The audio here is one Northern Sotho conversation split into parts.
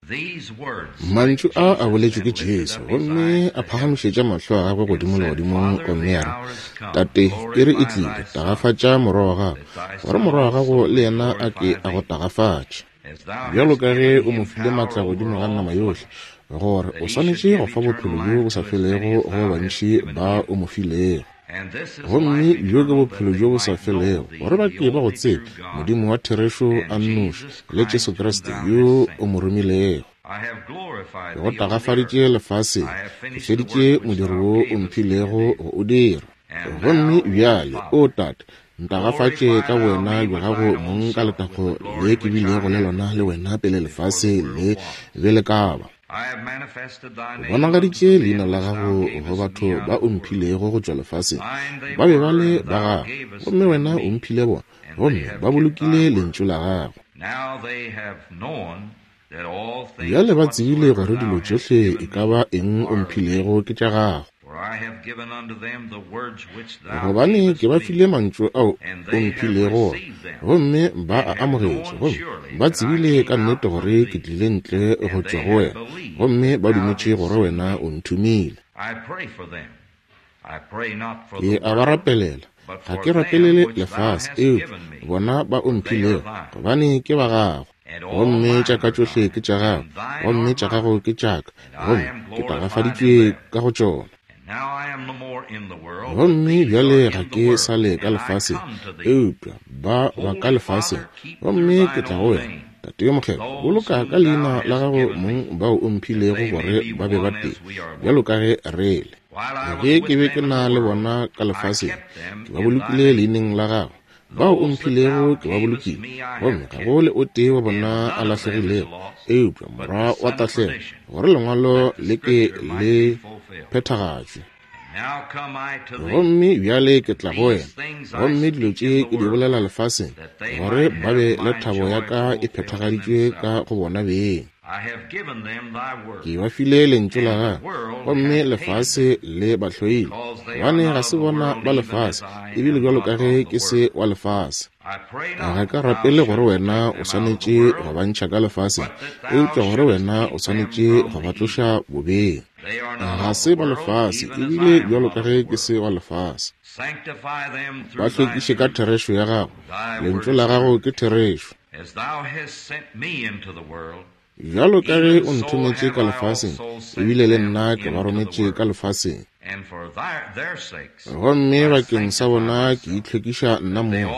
Mantšu a a boletšwe ke Jesu, gomme a phagamišetša mahlo a gagwe godimo legodimong gomme a re, Tate, iri e tlile, tagafatša Morwa wa gago, gore Morwa wa gago le yena a ke a go tagafatše. Bjalo ka ge o mo file matla godimo ga nama yohle, gore o swanetše go fa bophelo bjo bo sa felego go ba bantši ba o mo filego. Gomme bjo ke bophelo bjo bo sa felego, gore ba ke ba go tsebe, Modimo wa therešo a nnoši, le Jesu Kriste yo o mo romilego. Ke go tagafaditše lefaseng, ke feditše modiro wo o mphilego go o dira. Gomme bjale, O Tate, ntagafatše ka bowena bja gago mong ka letago le ke bilego le lona le wena pele lefase le be le ka ba. O bonagaditše leina la gago go batho ba o mphilego go tšwa lefaseng. Ba be ba le ba gago, gomme wena o mphile bona, gomme ba bolokile lentšu la gago. Bjale ba tsebile gore dilo tšohle e ka ba eng o mphilego ke tša gago. Gobane ke ba file mantšu ao o mphilego ona, gomme ba a amogetše, gomme ba tsebile ka nnete gore ke tlile ntle go tšwa go wena, gomme ba dumetše gore wena o nthomile. Ke a ba rapelela, ga ke rapelele lefase, eupša bona ba o mphilego, gobane ke ba gago. Gomme tša ka tšohle ke tša gago, gomme tša gago ke tša ka, gomme ke tagafaditšwe ka go tšona. Gomme bjale ga ke sa le ka lefaseng, eupša ba ba ka lefaseng, gomme ke tla go wena. Tate yo Mokgethwa, boloka ka leina la gago mong bao o mphilego gore ba be ba tee, bjalo ka ge re le. Ge ke be ke na le bona ka lefaseng, ke ba bolokile leineng la gago. Bao o mphilego ke ba bolokile, gomme ga go le o tee wa bona a lahlegilego, eupša morwa wa tahlego, gore lengwalo le ke le phethagatšwe. Gomme bjale ke tla go wena, gomme dilo tše ke di bolela lefaseng, gore ba be le thabo ya ka e phethagaditšwe ka go bona beng. Ke ba file lentšu la gago, gomme lefase le ba hloile, gobane ga se bona ba lefase, ebile bjalo ka ge ke se wa lefase. Ga ka rapele gore wena o swanetše go ba ntšha ka lefaseng, eupša gore wena o swanetše go ba tloša bobeng. Ga se ba lefase, ebile bjalo ka ge ke se wa lefase. Ba hlwekiše ka therešo ya gago, lentšu la gago ke therešo. Bjalo ka ge o nthometše ka lefaseng, ebile le nna ke ba rometše ka lefaseng. Gomme bakeng sa bona ke itlhwekiša nna mong,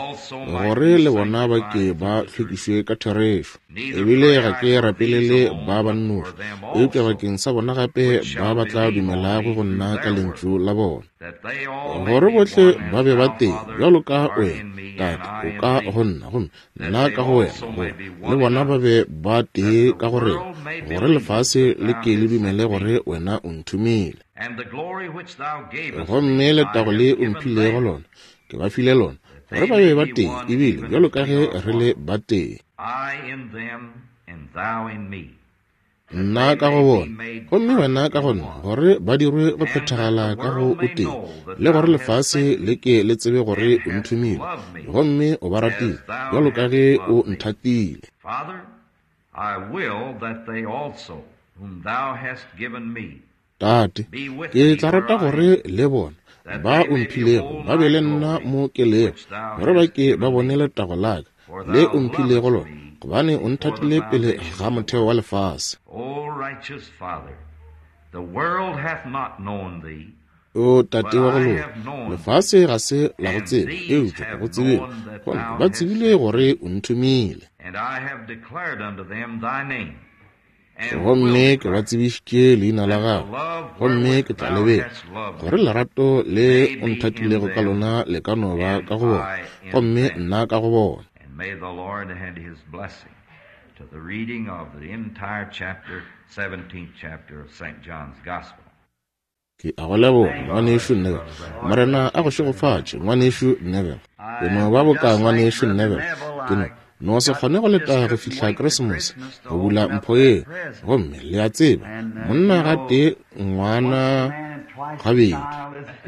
gore le bona ba ke ba hlwekišwe ka therešo. Ebile ga ke rapelele ba ba nnoši, eupša bakeng sa bona gape ba ba tla dumelago go nna ka lentšu la bona. Gore bohle ba be ba tee, bjalo ka wena, Tate, o ka go nna, gomme nna ka go wena, gore le bona ba be ba tee ka go rena, gore lefase le ke le dumele gore wena o nthomile. Gomme letago le o mphilego lona, ke ba file lona, gore ba be ba tee, ebile bjalo ka ge re le ba tee. Nna ka go bona, gomme wena ka go nna, gore ba dirwe go phethagala ka go o tee, le gore lefase le ke le tsebe gore o nthomile, gomme o ba ratile, bjalo ka ge o nthatile. Tate, ke tla rata gore le bona ba o mphilego ba be le nna mo ke lego, gore ba ke ba bone letago la ka le o mphilego lona, gobane o nthatile pele ga motheo wa lefase. O Tate wa go loka, lefase ga se la go tseba, eupša ke go tsebile, gomme ba tsebile gore o nthomile. Gomme ke ba tsebišitše leina la gago, gomme ke tla le bea, gore lerato le o nthatilego ka lona le ka no ba ka go bona, gomme nna ka go bona. Ke a go leboga, Ngwanešu Neville. Morena a go šegofatše, Ngwanešu Neville. Ke no ba boka Ngwanešu Neville. Ke no, no se kgone go leta go fihla Keresemose, go bula mpho yeo. Gomme le a tseba, monna gatee, ngwana gabedi.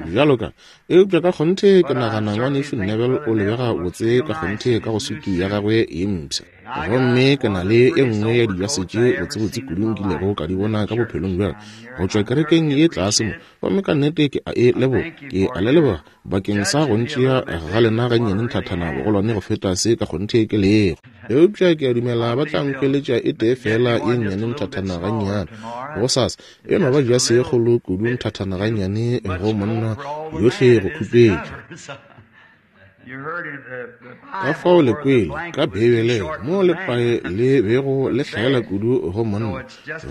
Bjalo ka, eupša ka kgonthe ke nagana Ngwanešu Neville o lebega botse ka kgonthe ka go sutu ya gagwe ye mpsha. Gomme ke na le e nngwe ya dijase tše botsebotse kudu nkilego ka di bona ka bophelong bja ka, go tšwa kerekeng ye tlase mo. Gomme ka nnete ke a e leboga. Ke a le leboga bakeng sa go ntšea ga lena gannyane nthathana bogolwane go feta se ka kgonthe ke lego. Eupša ke a dumela ba tla nkhweletša e tee feela ye nnyane nthathana gannyane gosasa. E no ba jase ye kgolo kudu nthathana gannyane go monna, yohle go khupetša. Ka fao le kwele ka Beibeleng mo lepae le bego le hlaela kudu go monna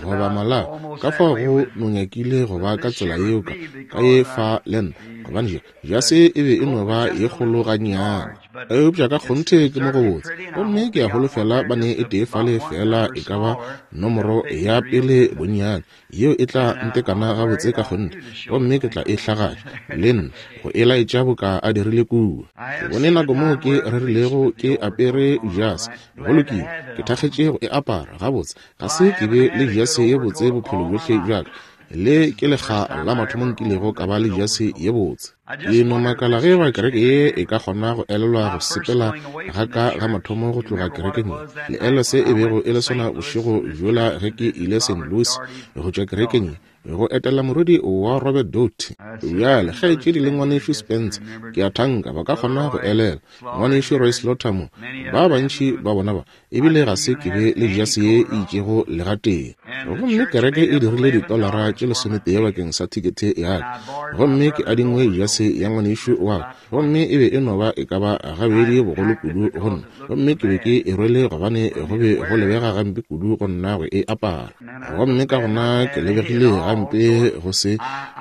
goba malao, ka fao go no nyakile go ba ka tsela yeo ka, ka ye fa le nna, gobane jase e be e no ba ye kgolo gannyane. Eupša ka kgonthe ke mo gobotse, gomme ke a holofela ba ne e tee fale feela e ka ba nomoro ya pele bonnyane. Yeo e tla ntekana gabotse ka kgonthe, gomme ke tla e hlagatša le nna go e laetša boka a dirile kua. Ke bone nako moo ke rerilego ke apere jase. Go lokile, ke thakgetše go e apara. Gabotse, ga se ke be le jase ye botse bophelo bjohle bja ka. Le ke lekga la mathomo nkilego ka ba le jase ye botse. Ke no makala ge eba kereke ye e ka kgona go elelwa go sepela ga ka ga mathomo go tloga kerekeng ye. Le elelwa se e bego e le sona bošego bjola ge ke ile St. Louis go tšwa kerekeng ye go etela morwedi wa Robert Doty. Bjale, kgaetšedi le Ngwanešu Spencer, ke a thanka ba ka kgona go elelwa. Ngwanešu Roy Slaughter mo, ba bantši ba bona ba, ebile ga se ke be le jase ye e itšego le gatee. Gomme kereke e dirile ditolara tše lesometee bakeng sa thikethe ya ka, gomme ke adingwe jase ya ngwanešu wa ka, gomme e be e no ba e ka ba gabedi bogolo kudu go nna, gomme ke be ke e rwele gobane go be go lebega gampe kudu go nna go e apara. Gomme ka gona ke lebegile gampe go se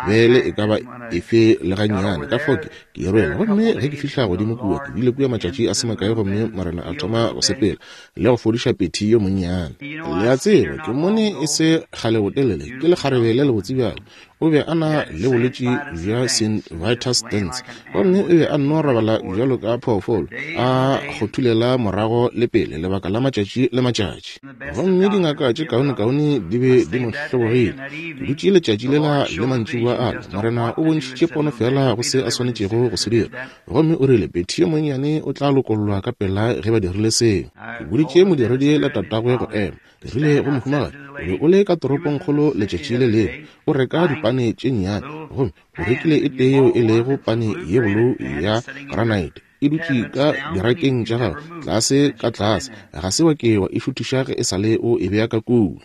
be le e ka ba efe le gannyane, ka fao ke, Ke e rwele. Gomme ge ke fihla godimo kua, ke bile kua matšatši a se makae, gomme Morena a thoma go sepela le go fodiša Petty yo monnyane. Le a tseba, ke mmone e se kgale botelele, ke lekgarebe le lebotse bjalo. O be a na le bolwetši bja Saint Vitus dance, gomme o be a nno robala bjalo ka phoofolo, a kgothulela morago le pele lebaka la matšatši le matšatši. Gomme dingaka tše kaonekaone di be di mo hlobogile. Ke dutše letšatši lela le mantšiboa ale, Morena o bontšhitše pono feela go se a swanetšego go se dira. Gomme o rile, Betty yo monnyane o tla lokollwa ka pela ge ba dirile seo. Ke boditše modiredi le tatagwe go ema. Ke rile go mohumagadi, O be o le ka toropongkgolo letšatši le lengwe, o reka dipane tše nnyane, gomme o rekile e tee yeo e lego pane ye bolou ya granite. E dutše ka dirakeng tša gago, tlase ka tlase. Ga se wa ke wa e šuthiša ge e sa le o e bea ka kua.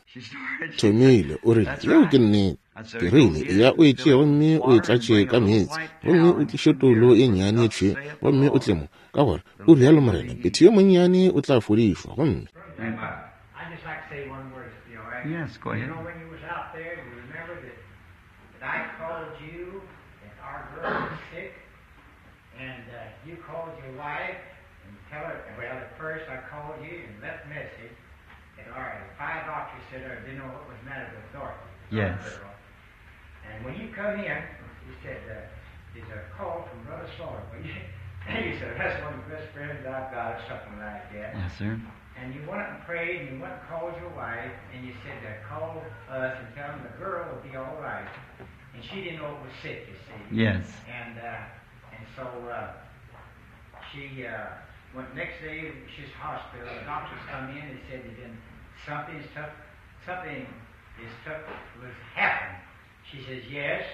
Thomile, o rile, Yeo ke nnete. Ke rile, Eya o e tšee gomme o e tlatše ka meetse, gomme o tliše toulo ye nnyane ye tšhweu, gomme o tle mo, ka gore o rialo morena, Betty yo monnyane o tla fodišwa. Gomme. Yes, go ahead. And uh, you called your wife and tell her, well, at first I called you and left message that our five doctors said I didn't know what was the matter with Dorothy. Yes. Girl. And when you come in, you said, uh, there's a call from Brother Slaughter. Well, you, you said, that's one of the best friends I've got, or something like that. Yes, sir. And you went up and prayed, and you went and called your wife, and you said to call us and tell them the girl will be all right. And she didn't know it was sick, you see. Yes. And uh, and so uh, she uh, went next day. She's hospital. The doctors come in and said that then something's tough. Something is tough was happened. She says yes,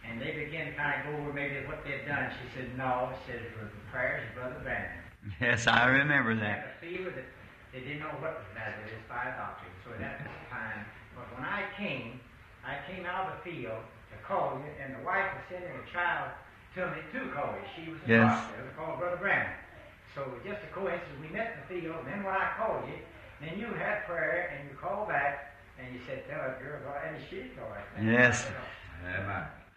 and they began to kind of go over maybe what they'd done. She said no. She said it was the prayers of Brother Branham. Yes, I remember Had that. a fever that they didn't know what was the matter with this five doctors. So at that time, but when I came, I came out of the field to call you, and the wife was sending a child to me to call you. She was in the Yes. hospital to call Brother Branham. So just a coincidence, we met in the field, and then when I called you, then you had prayer, and you called back, and you said, tell that girl, and she's all right. Yes.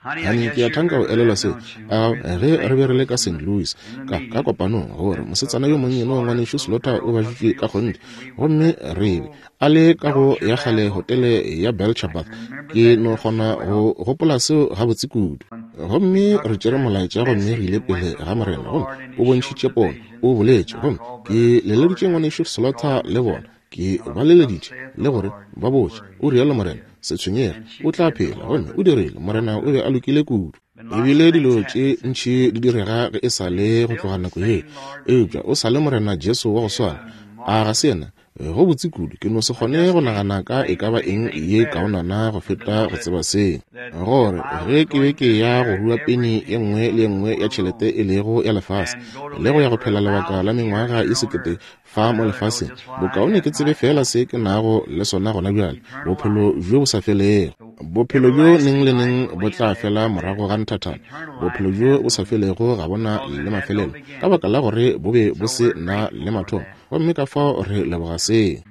Honey, I Hani guess ke a you thanka go remember elelwa that, seo don't you? a ge re be re le ka St. Louis ka ka kopanong gore mosetsana yo monnyane wa ngwanešu Slaughter o baditšwe ka kgonthe gomme re be a le ka go ya kgale hotele ya Belchabath ke no kgona go gopola seo gabotse kudu gomme re tšere molaetša gomme re ile pele ga Morena gomme o bontšhitše pono o boletše gomme ke leleditše ngwanešu Slaughter le bona Ke ba leleditše le gore ba botše, o rialo Morena, se tshwenyege, o tla phela. Gomme o dirile. Morena o be a lokile kudu. Ebile dilo tše ntši di direga ge e sa le go tloga nako ye, eupša o sa le Morena Jesu wa go swana. A ga se yena? Go botse kudu, ke no se kgone go nagana ka e ka ba eng ye kaonana go feta go tseba seo, gore ge ke be ke ya go rua peni ye nngwe le ye nngwe ya tšhelete e lego ya lefase, le go ya go phela lebaka la mengwaga ye sekete fa mo lefaseng, bokaone ke tsebe feela se ke nago le sona gona bjale, bophelo bjo bo sa felego. Bophelo bjo neng le neng bo tla fela morago ga nthathana. Bophelo bjo bo sa felego ga bona le mafelelo, ka baka la gore bo be bo se na le mathomo. Gomme ka fao re leboga seo.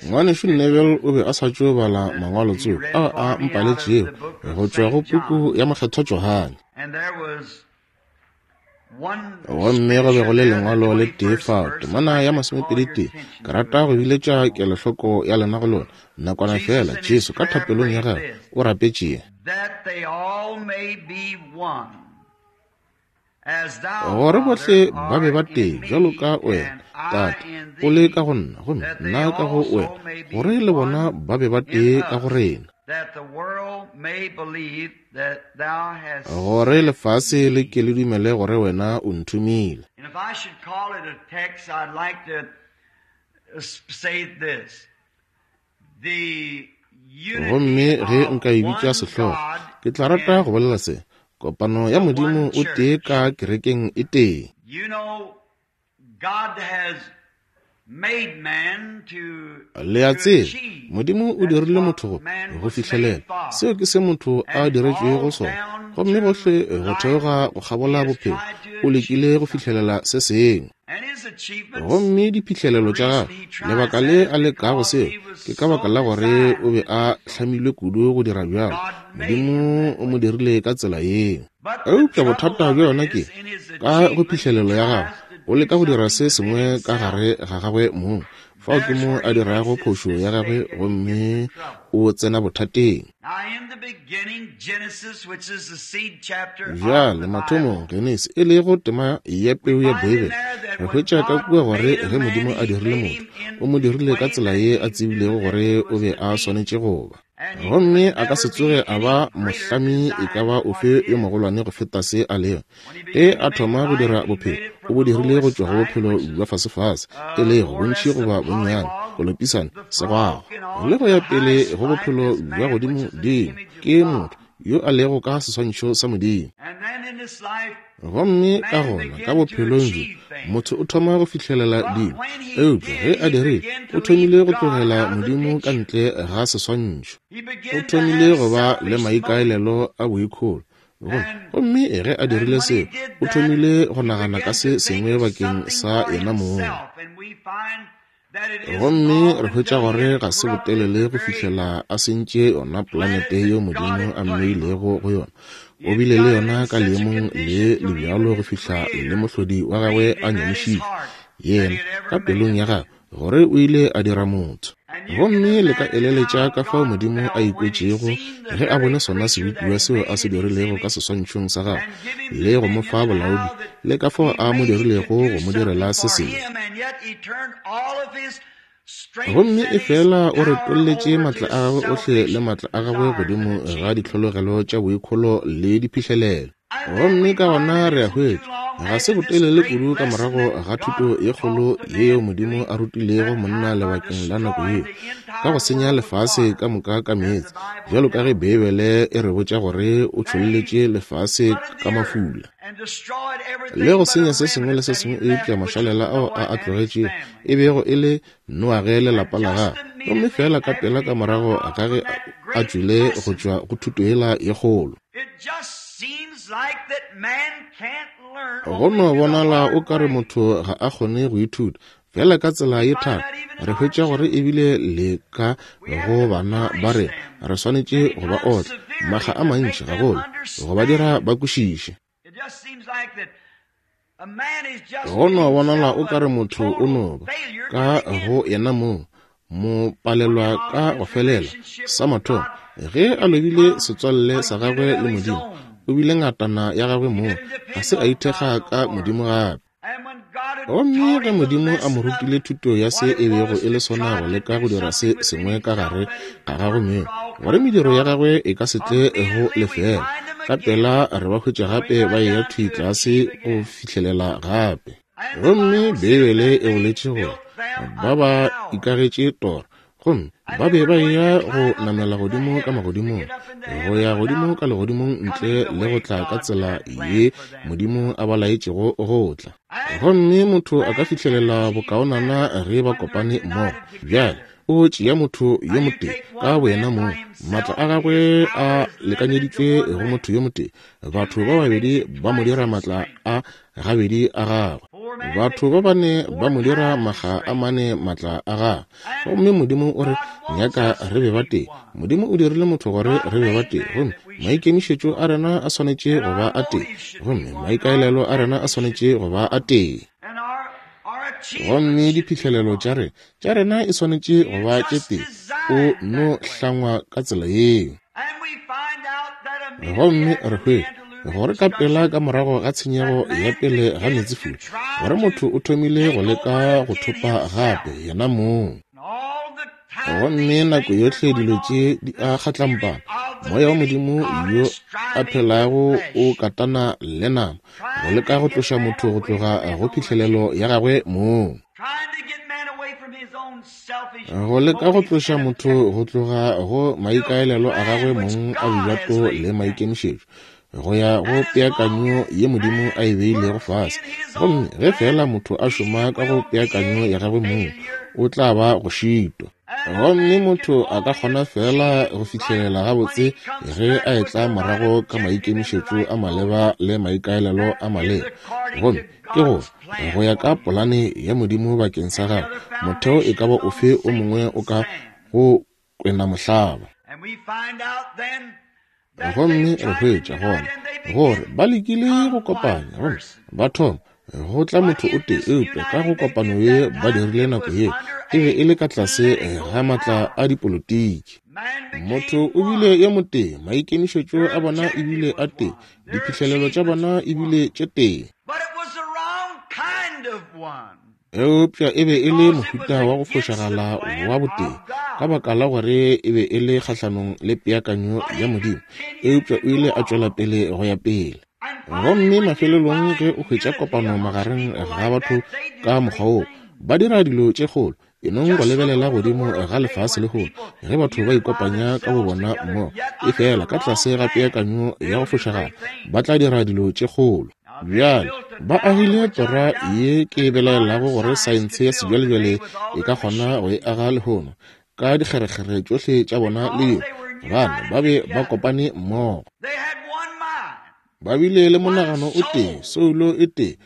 Ngwanešu Neville o be a sa tšo bala mangwalo tsoko ao a mpaletšego go tšwa go puku ya Mokgethwa Johane. Gomme go be go le lengwalo le tee fao, temana ya 21. Ke rata go biletša kelohloko ya lena go lona nakwana feela. Jesu ka thapelong ya gagwe o rapetše, gore bohle ba be ba tee, bjalo ka wena, Tate, o le ka go nna, gomme nna ka go wena, gore le bona ba be ba tee ka go rena, gore lefase le ke le dumele gore wena o nthomile. Gomme ge nka e bitša sehlogo, ke tla rata go bolela se, kopano ya Modimo o tee ka kerekeng e tee. Le a tseba, Modimo o dirile motho go fihlelela. Seo ke se motho a diretšwego sona. Gomme gohle go theoga go kgabola bophelo, o lekile go fihlelela se sengwe. Gomme diphihlelelo tša gagwe, lebaka le a lekago seo, ke ka baka la gore o be a hlamilwe kudu go dira bjalo. Modimo o mo dirile ka tsela yeo. Eupša bothata bja yona ke, ka go phihlelelo ya gagwe, o leka go dira se sengwe ka gare ga gagwe mong. Fao ke mo a dirago phošo ya gagwe gomme o tsena bothateng. Bjale, mathomong, Genesi, e lego tema ya peu ya Beibele, re hwetša ka kua gore ge Modimo a dirile motho, o mo dirile ka tsela ye a tsebilego gore o be a swanetše go ba. Gomme a ka se tsoge a ba mohlami e ka ba ofe yo mogolwane go feta se a lego. Ge a thoma go dira bophelo, o bo dirile go tšwa go bophelo bja fasefase, e lego bontši goba bonnyane, kolopisane, segwago, le go ya pele go bophelo bja godimodimo, ke motho yo a lego ka seswantšho sa Modimo. Gomme ka gona ka bophelong bjo motho o thoma go fihlelela dilo, eupša ge a dirile, o thomile go tlogela Modimo ka ntle ga seswantšho. O thomile go ba le maikaelelo a boikholo. Gomme ge a dirile seo, o thomile go nagana ka se sengwe bakeng sa yena mong. Gomme re hwetša gore ga se botelele go fihlela a sentše yona polanete yeo Modimo a mmeilego go yona. O bile le yona ka leemong le le bjalo go fihla le mohlodi wa gagwe a nyamišitšwe, yena, ka pelong ya gagwe, gore o ile a dira motho. Gomme le ka eleletša ka fao Modimo a ikwetšego ge a bone sona sebopiwa seo a se dirilego ka seswantšhong sa gagwe, le go mo fa bolaodi, le ka fao a mo dirilego go mo direla se sengwe. Gomme efela o retolletše matla a gagwe ohle le matla a gagwe godimo ga ditlhologelo tša boikholo le diphihlelelo. Gomme ka gona re a hwetša, ga se botelele kudu ka morago ga thuto ye kgolo yeo Modimo a rutilego monna lebakeng la nako yeo, ka go senya lefase ka moka ka meetse, bjalo ka ge Beibele e re botša gore o tšholletše lefase ka mafula, le go senya se sengwe le se sengwe eupša mašalela ao a a tlogetšego e bego e le Noage le lapa la gagwe. Gomme feela ka pela ka morago ga ge a tšwile go tšwa go thuto yela ye kgolo, go no bonala o ka re motho ga a kgone go ithuta feela ka tsela ye thata. Re hwetša gore ebile le ka go bana ba rena re swanetše go ba otla makga a mantši gagolo go ba dira ba kwešiše. Go no bonala o ka re motho o no ba ka go yena mong mo palelwa ka go felela. Sa mathomo, ge a lobile setswalle sa gagwe le Modimo, o bile ngatana ya gagwe mong, ga se a ithekga ka Modimo gape. Gomme ge Modimo a mo rutile thuto ya se e bego e le sona go leka go dira se sengwe ka gare ga gagwe mong, gore mediro ya gagwe e ka se tle go lefeela, ka pela re ba hwetša gape ba eya thwi tlase go fihlelela gape. Gomme Beibele e boletše gore ba ba ikagetše tora, gomme ba be ba eya go namela godimo ka magodimong, go ya godimo ka legodimong ntle le go tla ka tsela ye Modimo a ba laetšego go tla. Gomme motho a ka fihlelela bokaonana ge ba kopane mmogo. Bjale, o tšea motho yo motee ka boyena mong, maatla a gagwe a lekanyeditšwe go motho yo motee. Batho ba babedi ba mo dira maatla a gabedi a gagwe. Batho ba bane ba mo dira makga a mane maatla a gagwe. Gomme Modimo o re nyaka re be batee. Modimo o dirile motho gore re be batee, gomme maikemišetšo a rena a swanetše go ba a tee, gomme maikaelelo a rena a swanetše go ba a tee. Gomme diphihlelelo tša rena, tša rena e swanetše go ba tše tee. O no hlangwa ka tsela yeo. Gomme re hwetša gore ka pela ka morago ga tshenyego ya pele ga meetsefula, gore motho o thomile go leka go thopa gape yena mong. Gomme nako yohle dilo tše di a kgatlampana, Moya wa Modimo yo a phelago o katana le nama, go leka go tloša motho go tloga go phihlelelo ya gagwe mong. Go leka go tloša motho go tloga go maikaelelo a gagwe mong a bojato le maikemišetšo, go ya go peakanyo ye Modimo a e beilego fase. Gomme ge feela motho a šoma ka go peakanyo ya gagwe mong, o tla ba go šitwa. Gomme motho a ka kgona feela go fihlelela gabotse ge a etla morago ka maikemišetšo a maleba le maikaelelo a maleba. Gomme ke gore, go ya ka polane ya Modimo bakeng sa gagwe, motheo e ka ba ofe o mongwe o ka go kwena mohlaba. Gomme re hwetša gona gore ba lekile go kopanya, gomme ba thoma go tla motho o tee, eupša ka go kopano ye ba dirile nako ye e be e le ka tlase ga maatla a dipolotiki. Motho o bile yo motee, maikemišetšo a bona e bile a tee, diphihlelelo tša bona e bile tše tee. Eupša e be e le mohuta wa go fošagala wa botee, ka baka la gore e be e le kgahlanong le peakanyo ya Modimo. Eupša o ile a tšwela pele go ya pele. Gomme mafelelong ge o hwetša kopano magareng ga batho ka mokgwa woo, ba dira dilo tše kgolo. E nong go lebelela godimo ga lefase lehono, ge batho ba ikopanya ka bobona mmogo, efela ka tlase ga peakanyo ya go fošagala, ba tla dira dilo tše kgolo. Bjale, ba agile tora ye ke belaelago gore saense ya sebjalebjale e ka kgona go e aga lehono, ka dikgerekgere tšohle tša bona le dilo, gobane ba be ba kopane mmogo. Ba bile le monagano o tee, soulo e tee,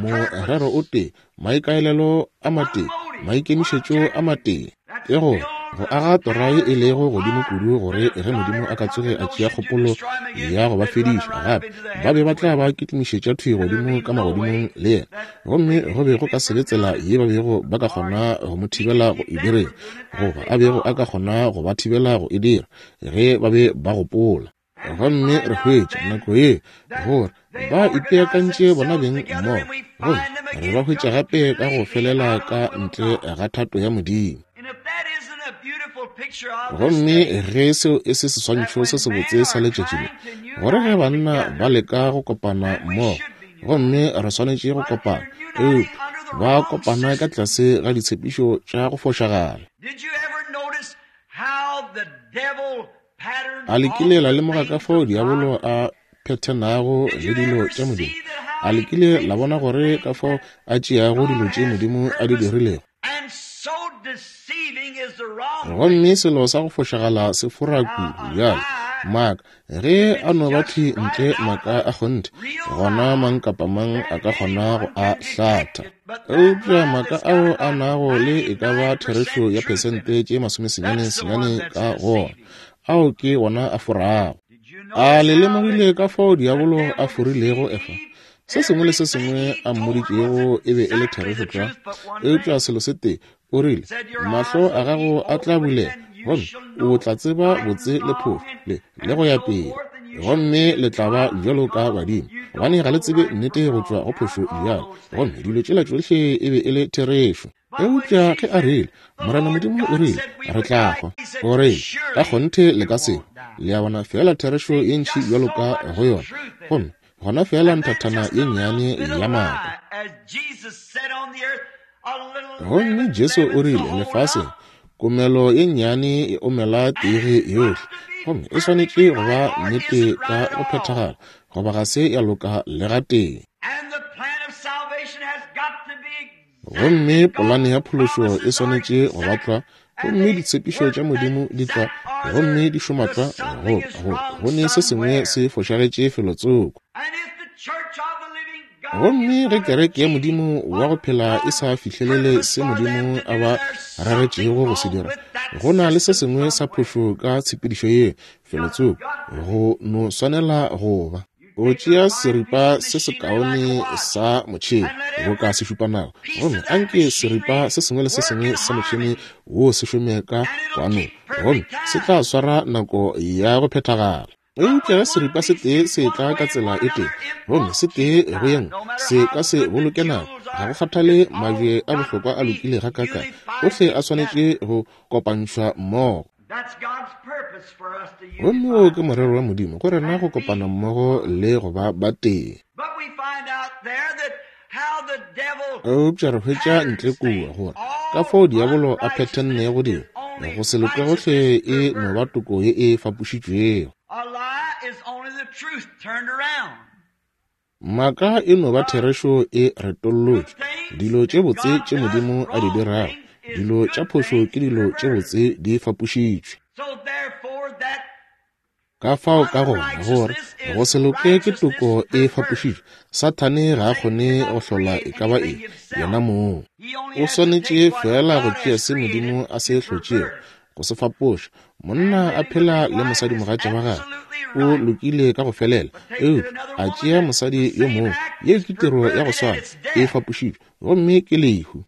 morero o tee, maikaelelo a matee, maikemišetšo a matee. Ke gore, go aga tora ye e lego godimo kudu gore ge Modimo a ka tsoge a tšea kgopolo ya go ba fediša gape, ba be ba tla ba kitimišetša thwi godimo ka magodimong le yena. Gomme go be go ka se be tsela ye ba bego ba ka kgona go mo thibela go e direng, goba a bego a ka kgona go ba thibela go e dira, ge ba be ba gopola. Gomme re hwetša nako ye gore ba ipeakantše bona beng mmogo, gomme re ba hwetša gape ka go felela ka ntle ga thato ya Modimo. Gomme ge seo e se seswantšho se sebotse sa letšatši le, gore ge banna ba leka go kopana mmogo, gomme re swanetše go kopana, eupša ba kopana ka tlase ga ditshepišo tša go fošagala. A le kile la lemoga ka fao diabolo a phethenago le dilo tša Modimo? A le kile la bona gore ka fao a tšeago dilo tše Modimo a di dirilego? Gomme selo sa go fošagala se fora kudu bjale. Maaka, ge a no ba thwi ntle maaka a kgonthe, gona mang kapa mang a ka kgona go a hlatha. Eupša maaka ao a nago le e ka ba therešo ya phesente tše 99 ka go ona, ao ke wona a forago. A le lemogile ka fao diabolo a forilego Efa? Se sengwe le se sengwe a mmoditšego e be e le therešo tlwa, eupša selo se tee, o rile, Mahlo a gago a tla bulega, gomme o tla tseba botse le phofu, le, le go ya pele, gomme le tla ba bjalo ka badimo, gobane ga le tsebe nnete go tšwa go phošo bjalo. Gomme dilo tšela tšohle e be e le therešo. Eupša ge a rile, Morena Modimo o rile, re tla hwa, o rile, ka kgonthe le ka se hwe. Le a bona, feela therešo ye ntši bjalo ka go yona. Gomme Gona feela nthathana ye nnyane ya maaka. Gomme Jesu o rile, lefaseng, komelo ye nnyane e omela tege yohle, gomme e swanetše go ba nnete ka go phethagala, goba ga se ya loka le gatee. Gomme polane ya phološo e swanetše go ba tlwa, gomme ditshepišo tša Modimo di tlwa, gomme di šoma tlwa, goba go ne se sengwe se fošagetše felotsoko. Gomme ge kereke ya Modimo wa go phela e sa fihlelele se Modimo a ba reretšego go se dira, go na le se sengwe sa phošo ka tshepedišo ye, felotsoko, go no swanela go ba. O tšea seripa se sekaone sa motšhene boka sešupanako, gomme anke seripa se sengwe le se sengwe sa motšhene wo se šome ka kwanong, gomme se tla swara nako ya go phethagala. Eupša ge seripa se tee se etla ka tsela e tee, gomme se tee go ye nngwe, se ka se boloke nako. Ga go kgathale mabje a bohlokwa a lokile gakaakang, ohle a swanetše go kopantšhwa mmogo. Gomme wo ke morero wa Modimo go rena go kopana mmogo le go ba batee. Eupša re hwetša ntle kua gore ka fao diabolo a phethennego dilo, go se loke gohle e no ba toko ye e fapošitšwego. Maaka e no ba therešo e retollotšwe. Dilo tše botse tše Modimo a di dirago, dilo tša phošo ke dilo tše botse di fapošitšwe. Ka fao ka gona gore go se loke ke toko e fapošitšwe, Sathane ga a kgone go hlola e ka ba eng yena mong. O swanetše feela go tšea se Modimo a se hlotšego, go se fapoša. Monna a phela le mosadimogatša wa gagwe, o lokile ka go felela, eupša a tšea mosadi yo mongwe, yeo ke tiro ya go swana, e fapošitšwe, gomme ke lehu.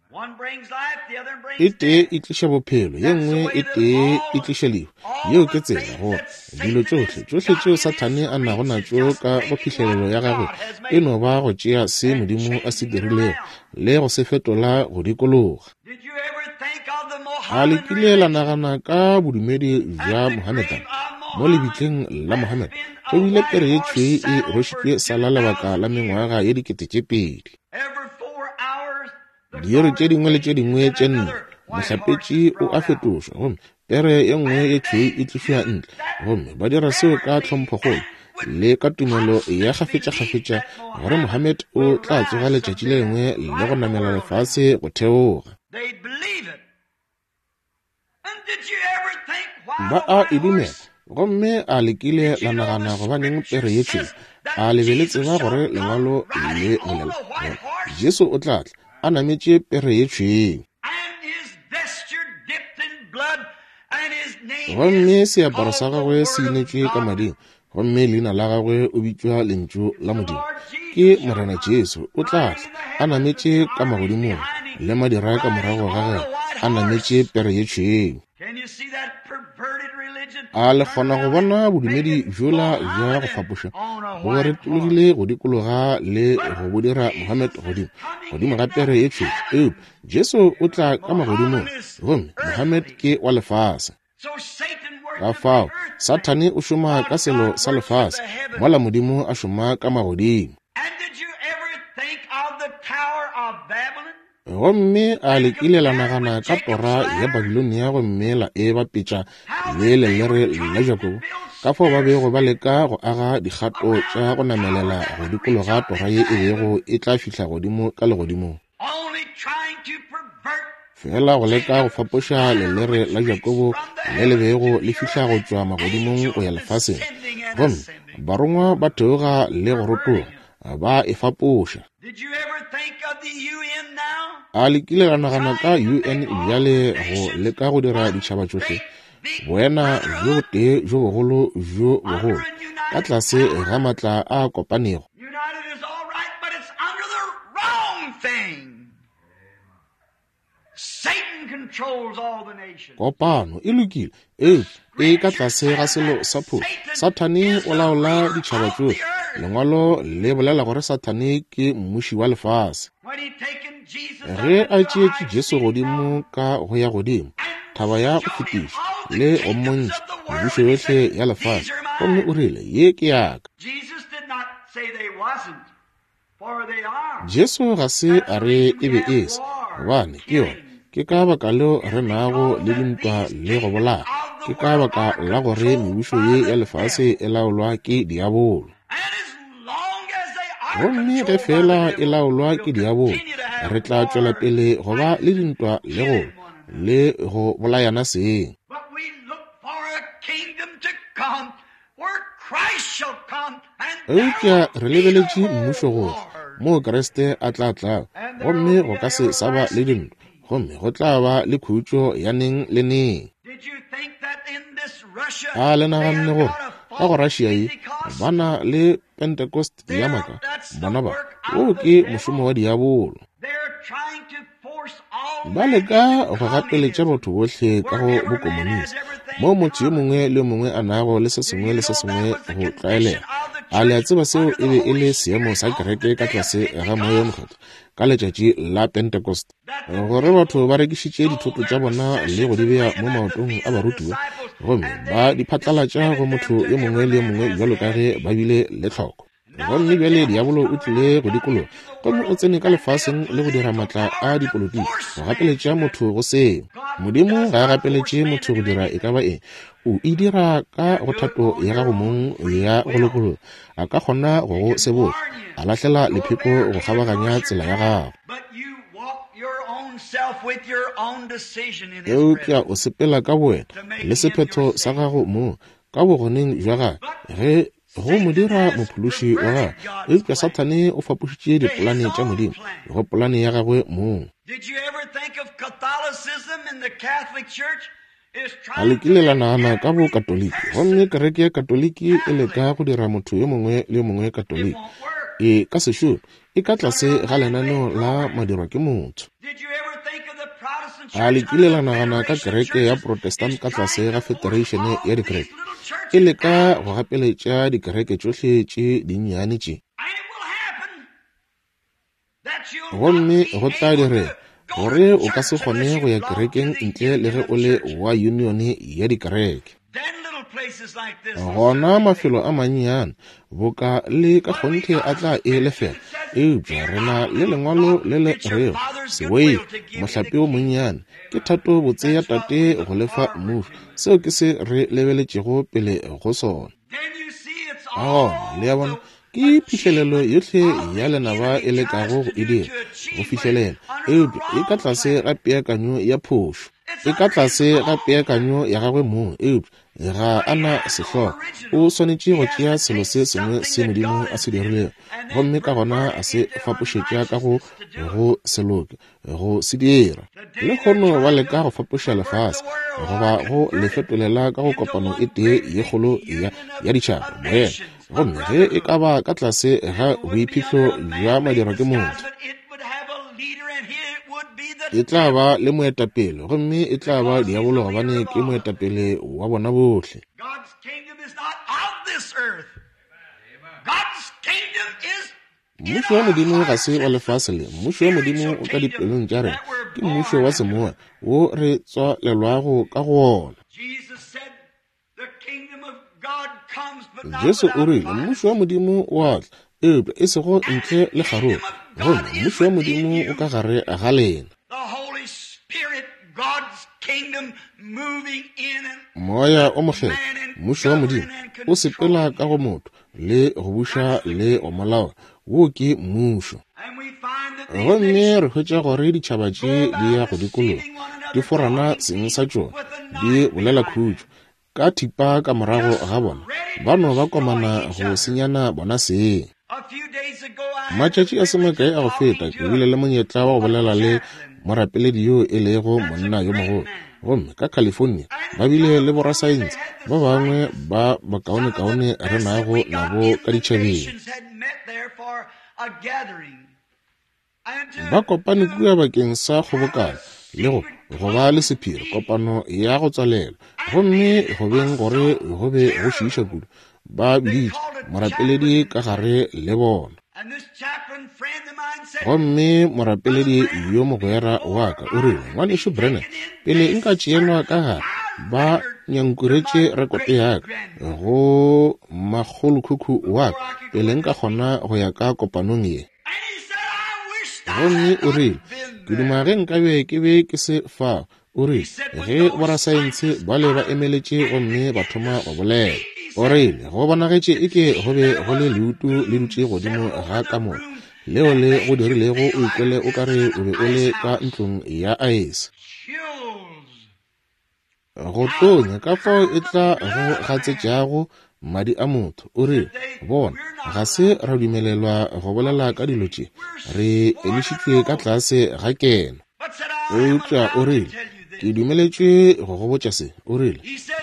E tee e tliša bophelo, ye nngwe e tee e tliša lehu. Yeo ke tsela gore dilo tšohle, tšohle tšeo Sathane a nago natšo ka go phihlelelo ya gagwe e no ba go tšea se Modimo a se dirilego le go se fetola go dikologa. A le kile la nagana ka bodumedi bja Mohammedan? Mo lebitleng la Mohammed go bile pere ye tšhweu e rwešitšwe sala lebaka la mengwaga ye 2000. Diiri tše dingwe le tše dingwe tše nne, mohlapetši o a fetošwa gomme pere ye nngwe ye tšhweu e tlišwa ntle, gomme ba dira seo ka tlhomphokgolo le ka tumelo ya kgafetšakgafetša gore Mohammed o tla tsoga letšatši le lengwe le go namela lefase go theoga. Ba a e dumela. Gomme a le kile la nagana gobaneng pere ye tšhweu? A le be le tseba gore Lengwalo le bolela gore Jesu o tla tla a nametše pere ye tšhweu? Gomme seaparo sa gagwe se inetšwe ka mading, gomme leina la gagwe o bitšwa Lentšu la Modimo. Ke Morena Jesu, o tla tla a nametše ka magodimong, le madira ka morago ga gagwe, a nametše pere ye tšhweu. A le kgona go bona bodumedi bjola bja go fapoša bo retologile go dikologa le go bo dira Mohammed godimo, godimo ga pere ye tšhweu? Eupša Jesu o tla ka magodimong, gomme Mohammed ke wa lefase. Ka fao, Sathane o šoma ka selo sa lefase, mola Modimo a šoma ka magodimo. Gomme a le kile la nagana ka tora ya Babilonia gomme la e bapetša le lelere la Jakobo, ka fao ba bego ba leka go aga dikgato tša go namelela go dikologa tora ye e bego e tla fihla godimo ka legodimong? Fela go leka go fapoša lelere la Jakobo le le bego le fihla go tšwa magodimong go ya lefaseng, gomme barongwa ba theoga le go rotoga, ba e fapoša. A le kile la nagana ka UN bjale go leka go dira ditšhaba tšohle boena bjo botee bjo bogolo bjo bogolo ka tlase ga maatla a kopanego? Kopano e lokile, eupša e ka tlase ga selo sa phošo. Sathane o laola ditšhaba tšohle. Lengwalo le bolela gore Sathane ke mmuši wa lefase. Ge a tšeetše Jesu godimo ka go ya godimo, thaba ya go fetiša, le go mmontšha mebušo yohle ya lefase, gomme o rile, Ye ke ya ka. Jesu ga se a re e be e se, gobane ke yona. Ke ka baka leo re nago le dintwa le go bolaya. Ke ka baka la gore mebušo ye ya lefase e laolwa ke diabolo. Gomme ge feela e laolwa ke diabolo, re tla tšwela pele go ba le dintwa le go le go bolayana seng. Eupša re lebeletše mmušo go tla, moo Kriste a tla tlago, gomme go ka se sa ba le dintwa, gomme go tla ba le khutšo ya neng le neng. A le naganne gore ka go Russia ye ba na le Pentecost ya maaka? Bona ba, woo ke mošomo wa diabolo. Ba leka go gapeletša batho bohle ka go bokomonisi, moo motho yo mongwe le yo mongwe a nago le se sengwe le se sengwe go tlwaelega. A le a tseba seo e be e le seemo sa kereke ka tlase ga Moya wo Mokgethwa ka letšatši la Pentecost, gore batho ba rekišitše dithoto tša bona le go di bea mo maotong a barutiwa, gomme ba di phatlalatša go motho yo mongwe le yo mongwe bjalo ka ge ba bile le tlhoko. Gomme bjale diabolo o tlile go dikologa gomme o tsene ka lefaseng le go dira maatla a dipolotiki go gapeletša motho go seo. Modimo ga a gapeletše motho go dira e ka ba eng. O e dira ka go thato ya gago mong ya go lokologa. A ka kgona go go sebotša, a lahlela lepheko go kgabaganya tsela ya gago. Eupša o sepela ka bowena le sephetho sa gago mong ka bogoneng bja gagwe ge go mo dira mophološi wa gagwe. Eupša Sathane o fapošitše dipolane tša Modimo go polane ya gagwe mong. A le kile la nagana ka Bokatoliki? Gomme kereke ya Katoliki e leka go dira motho yo mongwe le yo mongwe Katoliki. E ka se šome. E ka tlase ga lenaneo la madirwa ke motho. A le kile la nagana ka kereke ya Protestant ka tlase ga federation ya dikereke? E leka go gapeletša dikereke tšohle tše dinnyane tše. Gomme go tla direga gore o ka se kgone go ya kerekeng ntle le ge o le wa unione ya dikereke. Gona mafelo a mannyane boka le ka kgonthe a tla e lefela, eupša re na le lengwalo le le rego sewei mohlape o monnyane ke thato botse ya tate go lefa mmušo. Seo ke se re lebeletšego pele go sona. Ka gona le a bona, ke phihlelelo yohle ya lenaba e lekago go e dira go fihlelela, eupša e ka tlase ga peakanyo ya phošo. E ka tlase ga peakanyo ya gagwe mong, eupša ga a na sehlogo. O swanetše go tšea selo se sengwe se Modimo a se dirilego, gomme ka gona a se fapošetša ka go go se loke, go se dira. Lehono ba leka go fapoša lefase, goba go le fetolela ka go kopano e tee ye kgolo ya, ya ditšhaba, boena. Gomme ge e ka ba ka tlase ga boiphihlo bja madirwa ke motho, e tla ba le moetapele, gomme e tla ba diabolo gobane ke moetapele wa bona bohle. Mmušo wa Modimo ga se wa lefase le. Mmušo wa Modimo o ka dipelong tša rena. Ke mmušo wa semoya wo re tswalelwago ka go wona. Jesu o rile, Mmušo wa Modimo o a tla, eupša e sego ntle le kgaruru. Gomme mmušo wa Modimo o ka gare ga lena. Moya o Mokgethwa, mmušo wa Modimo, o sepela ka go motho le go buša le go mo laola. Wo ke mmušo. Gomme re hwetša gore ditšhaba tše di ya go dikologa, di forana seng sa tšona, di bolela khutšo ka thipa ka morago ga bona, ba no ba komana go senyana bona seng. Matšatši a se makae a go feta ke bile le monyetla wa go bolela le morapeledi yo e lego monna yo mogolo, gomme ka California ba bile le borasaense ba bangwe ba bakaonekaone re nago nabo ka ditšhabeng. Ba kopane kua bakeng sa kgobokano le go go ba le sephiri, kopano ya go tswalelwa, gomme go beng gore go be go šiiša kudu, ba biditše morapeledi ka gare le bona. Gomme morapeledi yo mogwera wa ka o rile, Ngwanešu Branham, pele nka tšeelwa ka gare, ba nyankuretše rekoto ya ka go makgolokhukhu wa ka pele nka kgona go ya ka kopanong ye. Gomme o rile, Ke duma ge nkabe ke be ke se fao. O rile, Ge borasaense bale ba emeletše gomme ba thoma go bolela. O rile, Go bonagetše eke go be go le leutu le dutše godimo ga kamora, leo le go dirilego o ikwele o ka re o be o le ka ntlong ya aese. Go tonya ka fao e tla go gatsetšago madi a motho. O rile, Bona, ga se ra dumelelwa go bolela ka dilo tše. Re emišitšwe ka tlase ga keno. Eupša o rile, Ke dumeletšwe go go botša se. O rile,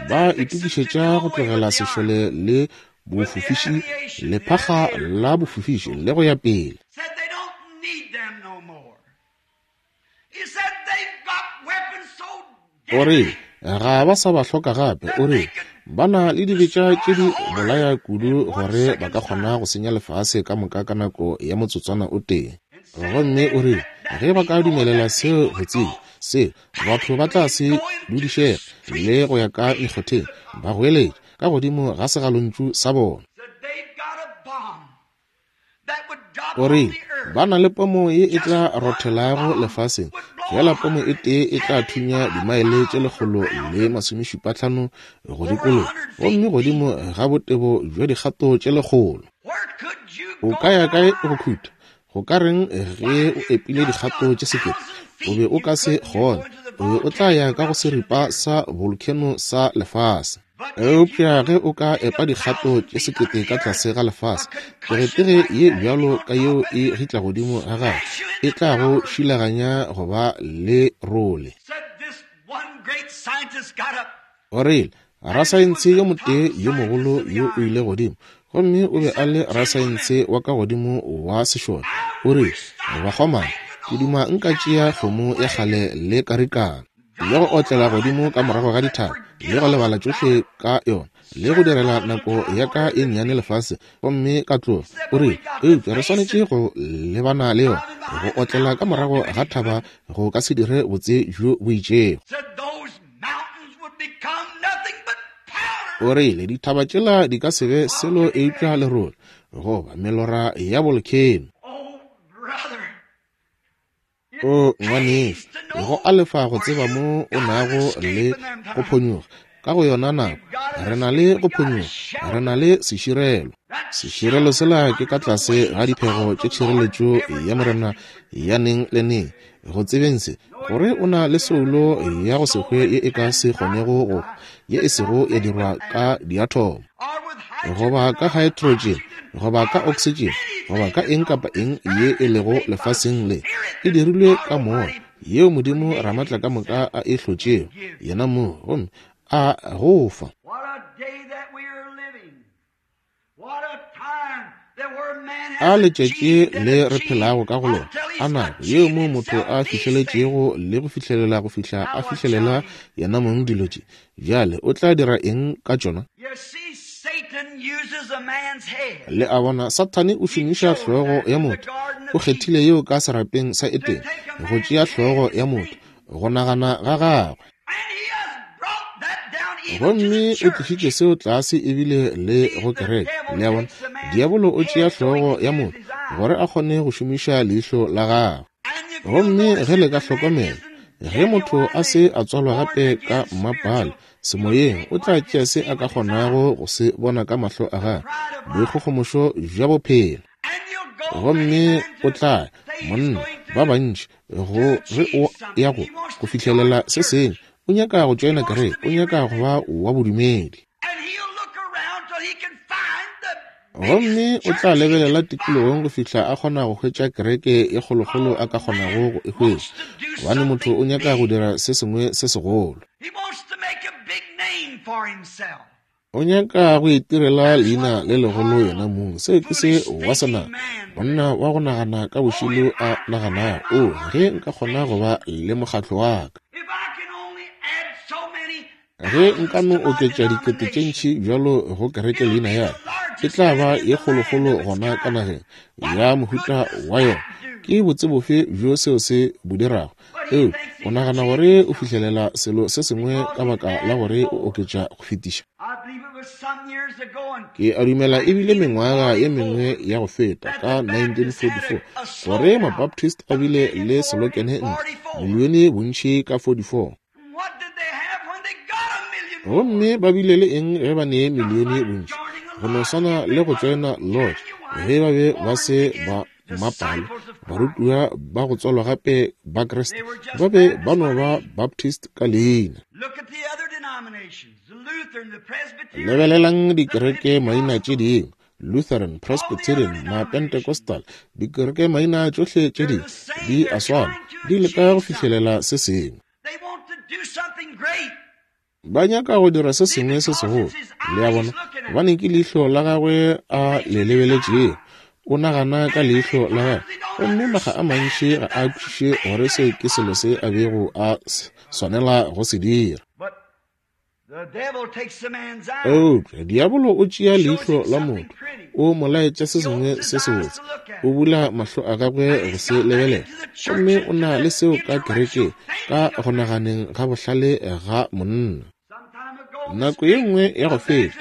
Ba itokišetša go tlogela sešole le bofofiši, lephakga la bofofiši, le go ya pele. O rile, Ga ba sa ba hloka gape. O rile, Ba na le dibetša tše di bolaya kudu gore ba ka kgona go senya lefase ka moka ka nako ya motsotswana o tee. Gomme o rile, Ge ba ka dumelela seo go tsebja, seo, batho ba tla se dudišege le go ya ka mekgotheng, ba goeletša ka godimo ga segalontšu sa bona. O rile, Ba na le pomo ye e tla rothelago lefaseng, fela pomo e tee e tla thunya dimaele tše 175 go dikologa, gomme godimo ga botebo bja dikgato tše 100. O ka ya kae go khuta? Go ka reng ge o epile dikgato tše 1000? O be o ka se kgone. O be o tla ya ka go seripa sa volcano sa lefase. Eupša ge o ka epa dikgato tše 1000 ka tlase ga lefase, tegetege ye bjalo ka yeo e gitla godimo ga gago e tla go šilaganya go ba le role. O rile, Rasaense yo motee yo mogolo yo o ile godimo, gomme o be a le rasaense wa ka godimo wa sešole. O rile, Bakgomana, ke duma nka tšea kgomo ya kgale le karikana, le go otlela godimo ka morago ga dithaba, le go lebala tšohle ka yona, le go direla nako ya ka e nnyane lefase, gomme ka tloga. O rile, Eupša re swanetše go lebana le yona. Go otlela ka morago ga thaba go ka se dire botse bjo bo itšego. O rile, Dithaba tšela di ka se be selo eupša lerole, goba melora ya bolkheno. O ngwanešu, go a lefa go tseba mo o nago le go phonyokga ka go yona nako. Re na le go phonyokga, re na le seširelo. Seširelo sela ke ka tlase ga diphego tše tšhireletšo ya Morena ya neng le neng. Go tsebeng se, gore o na le soulo ya go se hwe ye e ka se kgonego go hwa, ye e sego ya dirwa ka diathomo, goba ka haetrotšene, goba ka oksitšene, goba ka eng kapa eng ye e lego lefaseng le, e dirilwe ka moya, yeo Modimo Ramatlakamoka a e hlotšego, yena mong, gomme a go fa. A letšatši le re phelago ka go lona, a nako yeo mo motho a fihleletšego le go fihlelela go fihla a fihlelela yena mong dilo tše. Bjale o tla dira eng ka tšona? Le a bona, Sathane o šomiša hlogo ya motho. O kgethile yeo ka serapeng sa Edene, go tšea hlogo ya motho, go nagana ga gagwe. Gomme o tlišitše seo tlase ebile le go kereke. Le a bona, diabolo o tšea hlogo ya motho gore a kgone go šomiša leihlo la gagwe. Gomme ge le ka hlokomela, ge motho a se a tswalwa gape ka mmapale semoyeng, o tla tšea se a ka kgonago go se bona ka mahlo a gagwe, boikgogomošo bja bophelo. Gomme o tla, monna, ba bantši, go ge o ya go go fihlelela se sengwe, o nyaka go tšoena kereke, o nyaka go ba wa bodumedi. Gomme o tla lebelela tikologong go fihla a kgona go hwetša kereke e kgolokgolo a ka kgonago go e hwetša, gobane motho o nyaka go dira se sengwe se segolo. O nyaka go itirela leina le legolo yena mong. Seo ke se wa senama, monna wa go nagana ka bošilo a naganago, O, ge nka kgona go ba le mokgatlo wa ka! Ge nka no oketša dikete tše ntši bjalo go kereke leina ya ka, e tla ba ye kgolokgolo gona ka nageng ya mohuta wa yona. Ke botse bofe bjo seo se bo dirago? Eupša o nagana gore o fihlelela selo se sengwe ka baka la gore o oketša go fetiša. Ke a dumela e bile mengwaga ye mengwe ya go feta, ka 1944, gore Mabaptist a bile le selokene ntle, milione bontši ka 44. Gomme ba bile le eng ge ba ne milione bontši? Go no swana le go tšoena lodge, ge ba be ba se ba mmapale, barutiwa ba go tswalwa gape ba Kriste, ba be ba no ba Baptist ka leina. Lebelelang dikereke maina tše dingwe, Lutheran, Presbyterian, Mapentecostal, dikereke maina tšohle tše dingwe di a swana, di leka go fihlelela se sengwe. Ba nyaka go dira se sengwe se segolo, le a bona, gobane ke leihlo la gagwe a le lebeletšego. O nagana ka leihlo la gagwe, gomme makga a mantši ga a kwešiše gore se ke selo se a bego a swanela go se dira. Eupša diabolo o tšea leihlo la motho, o mo laetša se sengwe se sebotse, o bula mahlo a gagwe go se lebelela, gomme o na le seo ka kerekeng, ka go naganeng ga bohlale ga monna. Nako ye nngwe ya go feta,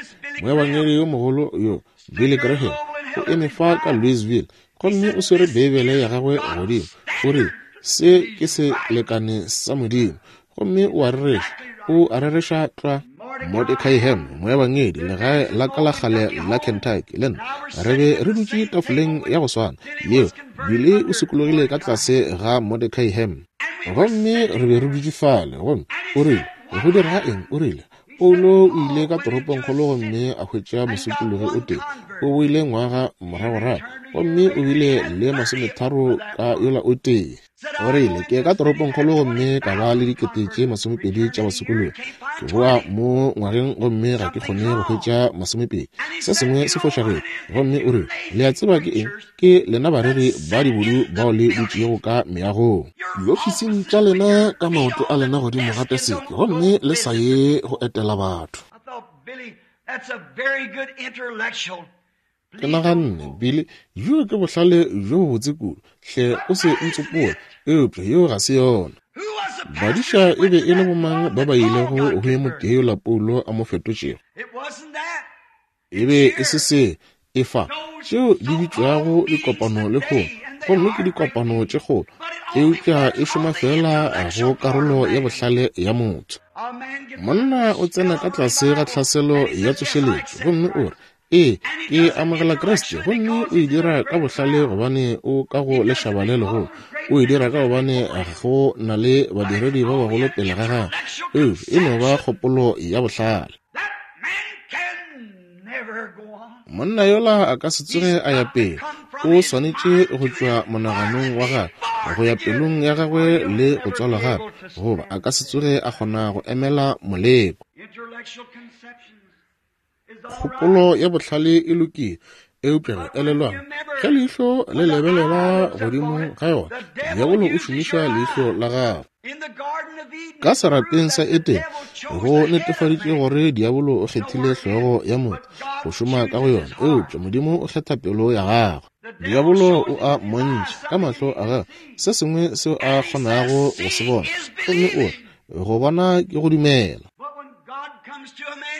moebangedi yo mogolo yo, Billy Graham, o eme fa ka Louisville, gomme o swere Beibele ya gagwe godimo, o rile, Se ke selekane sa Modimo. Gomme o a rereša, o a rereša tlwa. Mordecai Ham, moebangedi, legae la ka la kgale la Kentucky, le nna re be re dutše tafoleng ya go swana yeo. Billy o sokologile ka tlase ga Mordecai Ham. Gomme re be re dutše fale, gomme o rile, Go direga eng? O rile, Paulo o ile ka toropongkgolo gomme a hwetša mosokologi o tee. O boile ngwaga moragorago gomme o bile le 30 ka yola o tee. O rile, Ke ka toropongkgolo gomme ka ba le 20,000 tša basokologi. Ke boa mo ngwageng gomme ga ke kgone go hwetša 20. Se sengwe se fošagetše. Gomme o rile, Le a tseba ke eng? Ke lena bareri ba dibodu bao le dutšego ka meagong, diofising tša lena, ka maoto a lena godimo ga teseke, gomme le sa ye go etela batho. Ke naganne, Billy, bjoo ke bohlale bjo bobotse kudu. Hle o se ntsopole, eupša yeo ga se yona. Badiša e be e le bomang ba ba ilego go ye motee yola Paulo a mo fetotšego? E be e se se e fa tšeo di bitšwago dikopano lehono, gomme ke dikopano tše kgolo, eupša e šoma feela go karolo ya bohlale ya motho. Monna o tsena ka tlase ga tlhaselo ya tsošeletšo gomme o re, Ee, ke amogela Kriste, gomme o e dira ka bohlale gobane o ka go lešaba le legolo. O e dira ka gobane go na le badiredi ba bagolo pele ga gagwe, eupša e no ba kgopolo ya bohlale. Monna yola a ka se tsoge a ya pele. O swanetše go tšwa monaganong wa gagwe go ya pelong ya gagwe le go tswalwa gape, goba a ka se tsoge a kgona go emela moleko. Kgopolo ya bohlale e lokile, eupša ge elelwang, ge leihlo le lebelela godimo ga yona, diabolo o šomiša leihlo la gagwe. Ka serapeng sa Edene, go netefaditše gore diabolo o kgethile hlogo ya motho go šoma ka go yona, eupša Modimo o kgetha pelo ya gagwe. Diabolo o a mmontšha ka mahlo a gagwe se sengwe seo a kgonago go se bona, gomme o re, Go bona ke go dumela.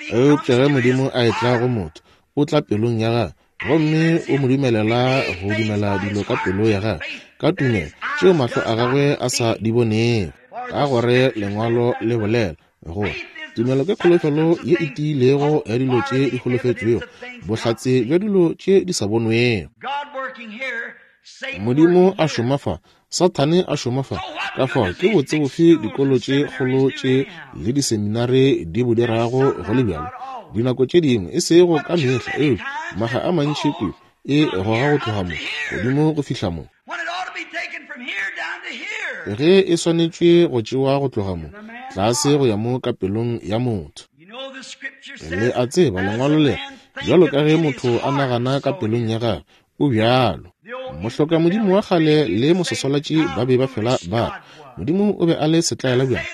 Eupša ge Modimo a etla go motho, o tla pelong ya gagwe gomme o mo dumelela go dumela dilo ka pelo ya gagwe ka tumelo tšeo mahlo a gagwe a sa di bonego, ka gore Lengwalo le bolela gore tumelo ke kholofelo ye e tiilego ya dilo tše di holofetšwego, bohlatse bja dilo tše di sa bonwego. Modimo a šoma fa, Sathane a šoma fa. Ka fao ke botse bofe dikolo tše kgolo tše le diseminare di bo dirago go le bjalo? Dinako tše dingwe, e sego ka mehla, eupša makga a mantši kudu, e goga go tloga mo godimo go fihla mo. Ge e swanetšwe go tšewa go tloga mo tlase go ya mo ka pelong ya motho. Le a tseba, Lengwalo le re, Bjalo ka ge motho a nagana ka pelong ya gagwe, o bjalo. Mohlokamodimo wa kgale le mososolatši ba be ba fela ba re, Modimo o be a le setlaela bjang,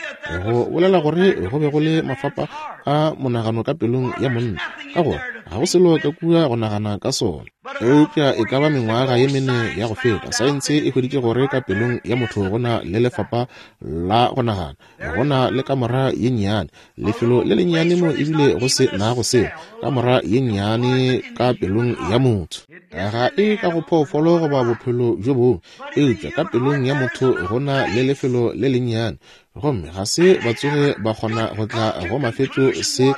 go bolela gore go be go le mafapa a monagano ka pelong ya monna, ka gore ga go selo ka kua go nagana ka sona. Eupša e ka ba mengwaga ye mene ya go feta, saense e hweditše gore ka pelong ya motho go na le lefapa la go nagana, go na le kamora ye nnyane, lefelo le lennyane mo ebile go se nago selo, kamora ye nnyane ka pelong ya motho. Ga e ka go phoofolo goba bophelo bjo bongwe, eupša ka pelong ya motho go na le lefelo le lennyane, gomme ga se ba tsoge ba kgona go tla go mafetšo se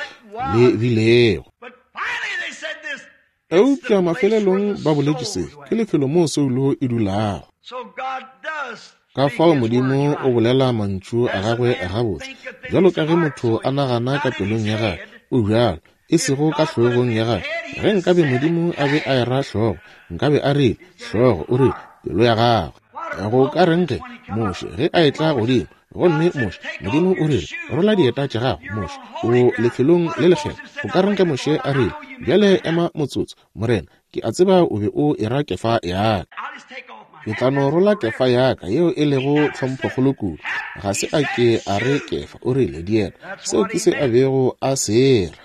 le bilego. Eupša mafelelong ba boletše se, ke lefelo moo soulo e dulago. Ka fao Modimo o bolela mantšu a gagwe gabotse, bjalo ka ge motho a nagana ka pelong ya gagwe, o bjalo, e sego ka hlogong ya gagwe. Ge nkabe Modimo a be a era hlogo, nkabe a rile, hlogo, o rile, pelo ya gagwe. Go ka reng ge Moshe, ge a etla godimo, gomme Moshe, Modimo o rile, rola dieta tša gago, Moshe, o lefelong le lekgethwa. Go ka reng ge Moshe a rile, bjale ema motsotso, Morena, ke a tseba o be o era kefa ya ka. Ke tla no rola kefa ya ka, yeo e lego tlhomphokgolo kudu. Ga se a ke a re kefa, o rile dieta. Seo ke se a bego a se ra.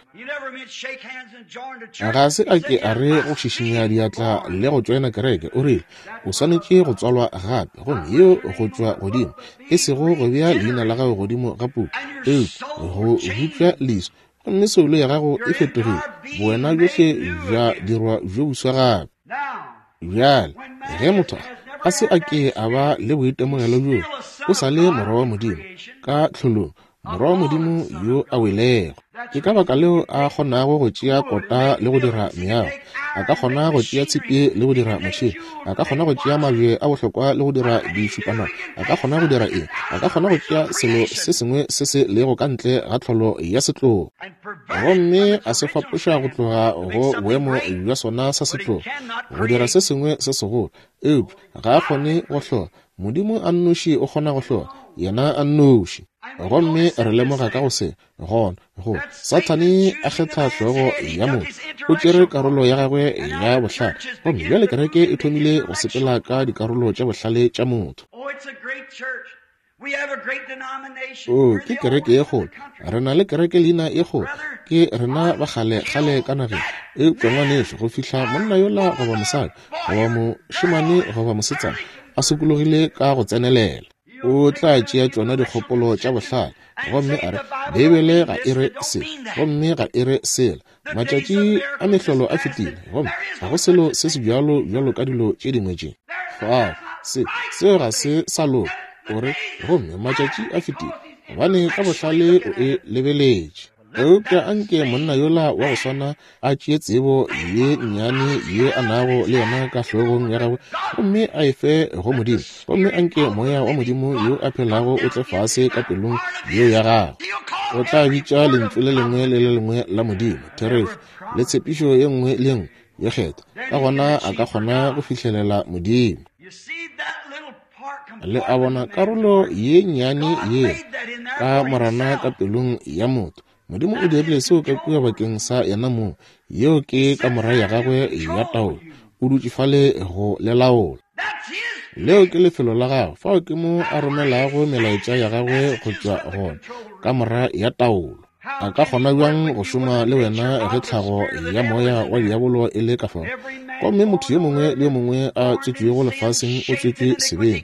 Ga se a ke a re go šišinya diatla le go tšoena kereke. O rile, o swanetše go tswalwa gape, gomme yeo go tšwa godimo, e sego go bea leina la gago godimo ga puku, eupša go bupša leswi, gomme soulo ya gago e fetogile, bowena bjohle bja dirwa bjo buswa gape. Bjale, ge motho a se a ke a ba le boitemogelo bjoo, o sa le morwa wa Modimo ka tlholong, morwa wa Modimo yo a welego. Ke ka baka leo a kgonago go tšea kota le go dira meago, a ka kgona go tšea tshipi le go dira motšhene, a ka kgona go tšea mabje a bohlokwa le go dira dišupanwana, a ka kgona go dira eng, a ka kgona go tšea selo se sengwe se se lego ka ntle ga tlholo ya setlogo gomme a se fapoša go tloga go boemo bja sona sa setlogo go dira se sengwe se segolo, eupša ga a kgone go hlola. Modimo a nnoši o kgona go hlola, yena a nnoši. Gomme re lemoga ka go se gona go Sathane a kgetha hlogo ya motho, o tšere karolo ya gagwe ya bohlale, gomme bjale kereke e thomile go sepela ka dikarolo tša bohlale tša motho. O, ke kereke ye kgolo, re na le kereke leina ye kgolo, ke rena ba kgale kgale ka nageng. Eupša ngwanešu, go fihla monna yola goba mosadi goba mošemane goba mosetsana a sokologile ka go tsenelela, o tla tšea tšona dikgopolo tša bohlale gomme a re, Beibele ga e re se, gomme ga e re sela. Matšatši a mehlolo a fetile, gomme ga go selo se se bjalo bjalo ka dilo tše dingwe tše. Fao, se, seo ga se sa loka. O re, gomme matšatši a fetile, gobane ka bohlale o e lebeletše. Eupša anke monna yola wa go swana a tšee tsebo ye nnyane ye a nago le yona ka hlogong ya gagwe gomme a e fe go Modimo, gomme anke Moya wa Modimo yo a phelago o tle fase ka pelong yeo ya gagwe. O tla bitša lentšu le lengwe le le lengwe la Modimo therešo, le tshepišo ye nngwe le ye nngwe ye kgethwa. Ka gona a ka kgona go fihlelela Modimo. Le a bona karolo ye nnyane ye ka morana ka pelong ya motho. Modimo o dirile seo ka kua bakeng sa yena mong. Yeo ke kamora ya gagwe ya taolo. O dutše fale go le laola. Leo ke lefelo la gagwe. Fao ke mo a romelago melaetša ya gagwe go tšwa gona, kamora ya taolo. A ka kgona bjang go šoma le wena ge tlhago ya moya wa diabolo e le ka fao? Gomme motho yo mongwe le yo mongwe a tswetšwego lefaseng o tswetšwe sebeng,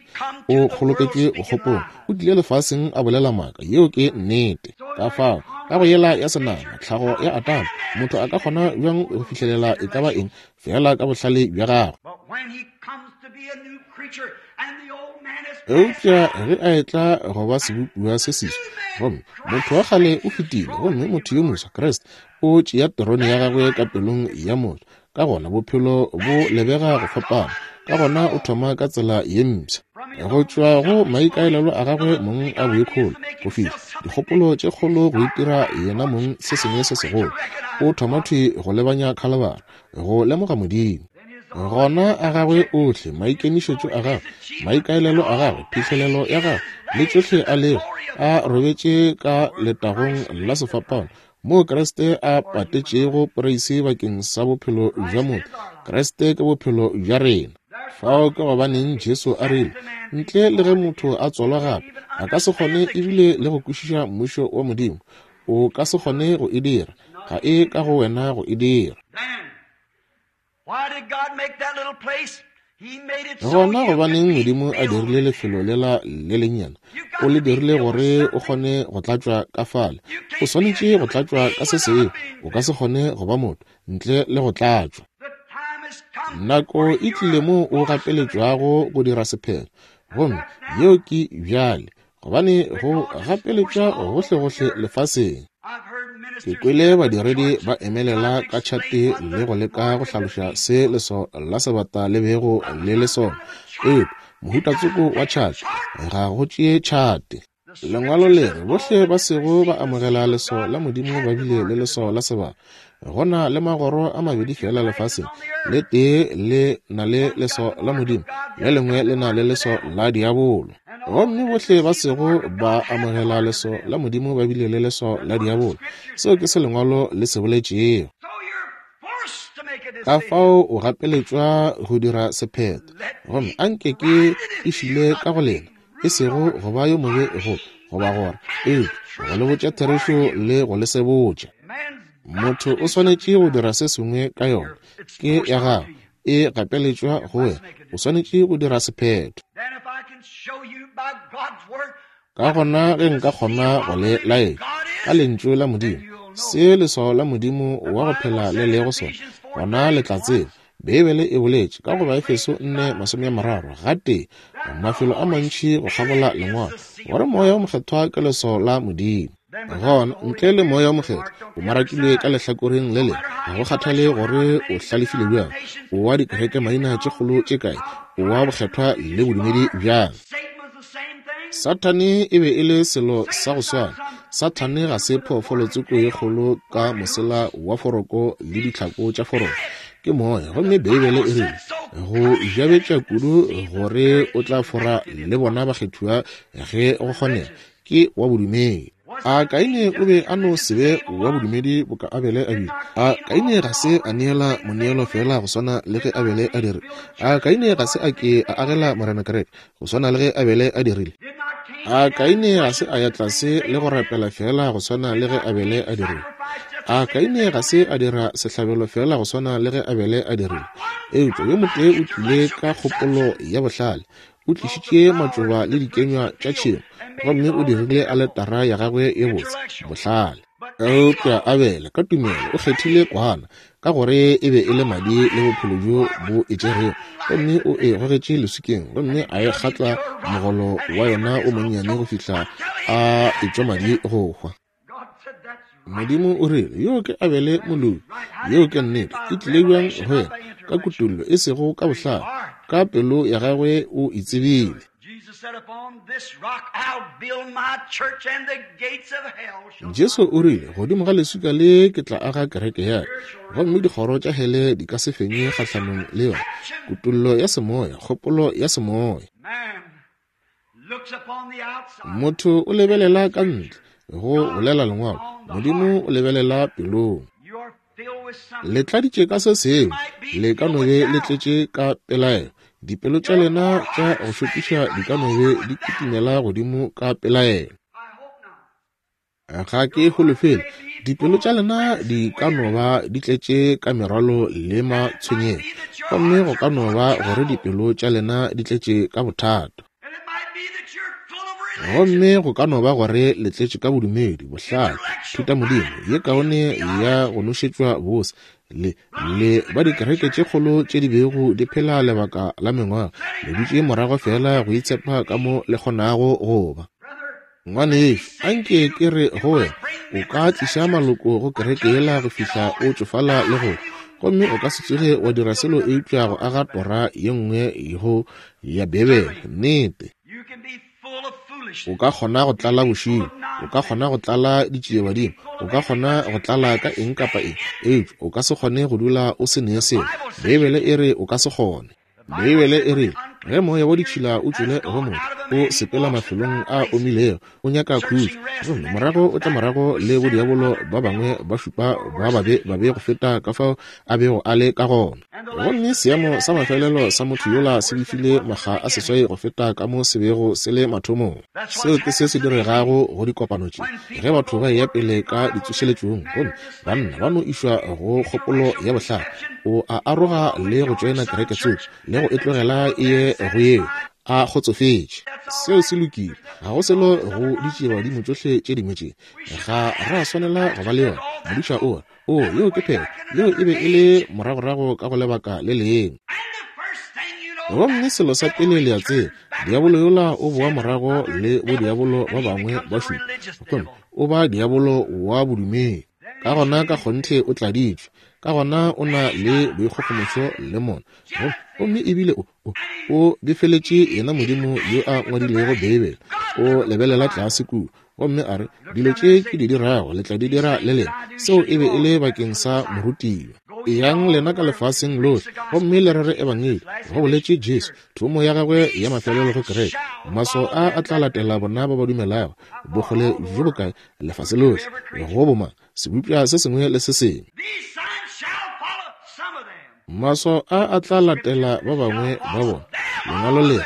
o kgoloketšwe bokgopong, o tlile lefaseng a bolela maaka. Yeo ke nnete. Ka fao, ka go yela ya senama, tlhago ya Adama, motho a ka kgona bjang go fihlelela e ka ba eng feela ka bohlale bja gagwe? Eupša ge a etla go ba sebopiwa se seswa, gomme motho wa kgale o fetile, gomme motho yo moswa, Kriste, o tšea terone ya gagwe ka pelong ya motho, ka gona bophelo bo lebega go fapana, ka gona o thoma ka tsela ye mpsha. Go tšwa go maikaelelo a gagwe mong a boikgolo, go fihla dikgopolo tše kgolo go itira yena mong se sengwe se segolo, o thoma thwi go lebanya Khalabara, go lemoga Modimo. Gona a gagwe ohle, maikemišetšo a gagwe, maikaelelo a gagwe, phihlelelo ya gagwe, le tšohle a lego, a robetše ka letagong la sefapano, moo Kriste a patetšego poreisi bakeng sa bophelo bja motho. Kriste ke bophelo bja rena. Fao ke gobaneng Jesu a rile, ntle le ge motho a tswalwa gape, a ka se kgone ebile le go kwešiša mmušo wa Modimo. O ka se kgone go e dira. Ga e ka go wena go e dira. Gona gobaneng Modimo a dirile lefelo lela le lennyane? O le dirile gore o kgone go tlatšwa ka fale. O swanetše go tlatšwa ka se sengwe. O ka se kgone go ba motho ntle le go tlatšwa. Nako e tlile moo o gapeletšwago go dira sephetho, gomme yeo ke bjale, gobane go gapeletšwa gohlegohle lefaseng. Ke kwele badiredi ba emelela ka tšhate le go leka go hlaloša se leso la sebata le bego le le sona, eupša mohuta tsoko wa tšhate ga go tšee tšhate. Lengwalo le re bohle ba sego ba amogela leso la Modimo ba bile le leso la sebata. Go na le magoro a mabedi fela lefaseng, le tee le na le leso la Modimo, le lengwe le na le leso la diabolo. Gomme bohle ba sego ba amogela leso la Modimo ba bile le leso la diabolo. Seo ke se Lengwalo le se boletšego. Ka fao o gapeletšwa go dira sephetho. Gomme anke ke e šile ka go lena, e sego go ba yo mobe go goba gore, eupša go le botša therešo le go le sebotša. Motho o swanetše go dira se sengwe ka yona. Ke ya gago, e gapeletšwa go wena. O swanetše go dira sephetho. Ka gona ge nka kgona go le laetša ka Lentšu la Modimo se leswao la Modimo wa go phela le lego sona, gona le tla tseba. Beibele e boletše ka go Baefeso 4:30 gatee mafelo a mantši go kgabola Lengwalo gore Moya wo Mokgethwa ke leswao la Modimo. Gona ntle le Moya wo Mokgethwa o marakilwe ka lehlakoreng le lengwe. Ga go kgathale gore o hlalefile bjang, o wa dikereke maina tše kgolo tše kae, o wa bokgethwa le bodumedi bjang. Sathane e be e le selo sa go swana. Sathane ga se phoofolo tsoko ye kgolo ka mosela wa foroko le ditlhako tša foroko. Ke moya, gomme Beibele e rile go jabetša kudu gore o tla fora le bona bakgethiwa ge go kgonega. Ke wa bodumedi. A Kaine o be a no se be wa bodumedi boka Abele a bile? A Kaine ga se a neela moneelo feela go swana le ge Abele a dirile? A Kaine ga se a ke a agela Morena kereke go swana le ge Abele a dirile? A Kaine ga se a ya tlase le go rapela feela go swana le ge Abele a dirile? A Kaine ga se a dira sehlabelo feela go swana le ge Abele a dirile? Eupša yo motee o tlile ka kgopolo ya bohlale, o tlišitše matšoba le dikenywa tša tšhemo, gomme o dirile aletara ya gagwe ye botse, bohlale. Eupša Abele, ka tumelo, o kgethile kwana, ka gore e be e le madi le bophelo bjo bo e tšerego, gomme o e gogetše leswikeng, gomme a e kgatla mogolo wa yona o monnyane go fihla a etšwa madi go hwa. Modimo o rile, Yo ke Abele moloki. Yeo ke nnete. E tlile bjang go yena? Ka kutollo, e sego ka bohlale. Ka pelo ya gagwe o e tsebile. Jesu o rile, Godimo ga leswika le ke tla aga kereke ya ka, gomme dikgoro tša hele di ka se fenye kgahlanong le yona. Kutollo ya semoya, kgopolo ya semoya. Motho o lebelela ka ntle, go bolela Lengwalo. Modimo o lebelela pelong. Le tladitše ka se sengwe, le ka no be le tletše ka pelaelo. Dipelo tša lena tša go šokiša di ka no be di kitimela godimo ka pelaelo. Ga ke holofele. Dipelo tša lena di ka no ba di tletše ka merwalo le matshwenyego, gomme go ka no ba gore dipelo tša lena di tletše ka bothata. Gomme go ka no ba gore le tletše ka bodumedi, bohlale, thutamodimo ye kaone ya go nošetšwa bose, le, le ba dikereke tše kgolo tše di bego di phela lebaka la mengwaga, le dutše morago feela go itshepa ka mo le kgonago go ba. Ngwanešu, anke ke re go wena, o ka tliša maloko go kereke yela go fihla o tšofala le go, gomme o ka se tsoge wa dira selo eupša go aga tora ye nngwe go ya Bibele. Nnete. O ka kgona go tlala bošilo, o ka kgona go tlala ditšiebadimo, o ka kgona go tlala ka eng kapa eng, eupša o ka se kgone go dula o se ne selo. Beibele e re o ka se kgone. Beibele e rile, Ge moya wa ditšhila o tšwele go motho, o sepela mafelong a omilego, o nyaka khutšo, gomme morago o tla morago le bodiabolo ba bangwe ba šupa ba babe, babe go feta ka fao a bego a le ka gona. Gomme seemo sa mafelelo sa motho yola se befile makga a 8 go feta ka mo se bego se le mathomong. Seo ke se se diregago go dikopano tše. Ge batho ba eya pele ka ditsošeletšong, gomme banna ba no išwa go kgopolo ya bohlale, o a aroga le go tšoena kereke tsoko, le go e tlogela e ye go yeo, a kgotsofetše. Seo se lokile. Ga go selo go ditšiebadimo tšohle tše dingwe tše. Ga ra swanela go ba le yona. Modiša o re, O, yeo ke phetho. Yeo e be e le moragorago ka go lebaka le lengwe. Gomme selo sa pele le a tseba, diabolo yola o boa morago le bodiabolo ba bangwe ba šupa, gomme o ba diabolo wa bodumedi. Ka gona ka kgonthe o tladitšwe. Ka gona o na le boikgogomošo le mona. Gomme ebile o, o, o befeletše yena Modimo yo a ngwadilego Beibele. O lebelela tlase kua, gomme a re, Dilo tše ke di dirago le tla di dira le lena. Seo e be e le bakeng sa morutiwa. Eyang lena ka lefaseng lohle gomme le rere ebangedi, go boletše Jesu, thomo ya gagwe ya mafelelo go kereke. Maswao a a tla latela bona ba ba dumelago. Bokgole bjo bokae? Lefase lohle. Go bomang? Sebopša se sengwe le se sengwe. Maswao a a tla latela ba bangwe ba bona. Lengwalo le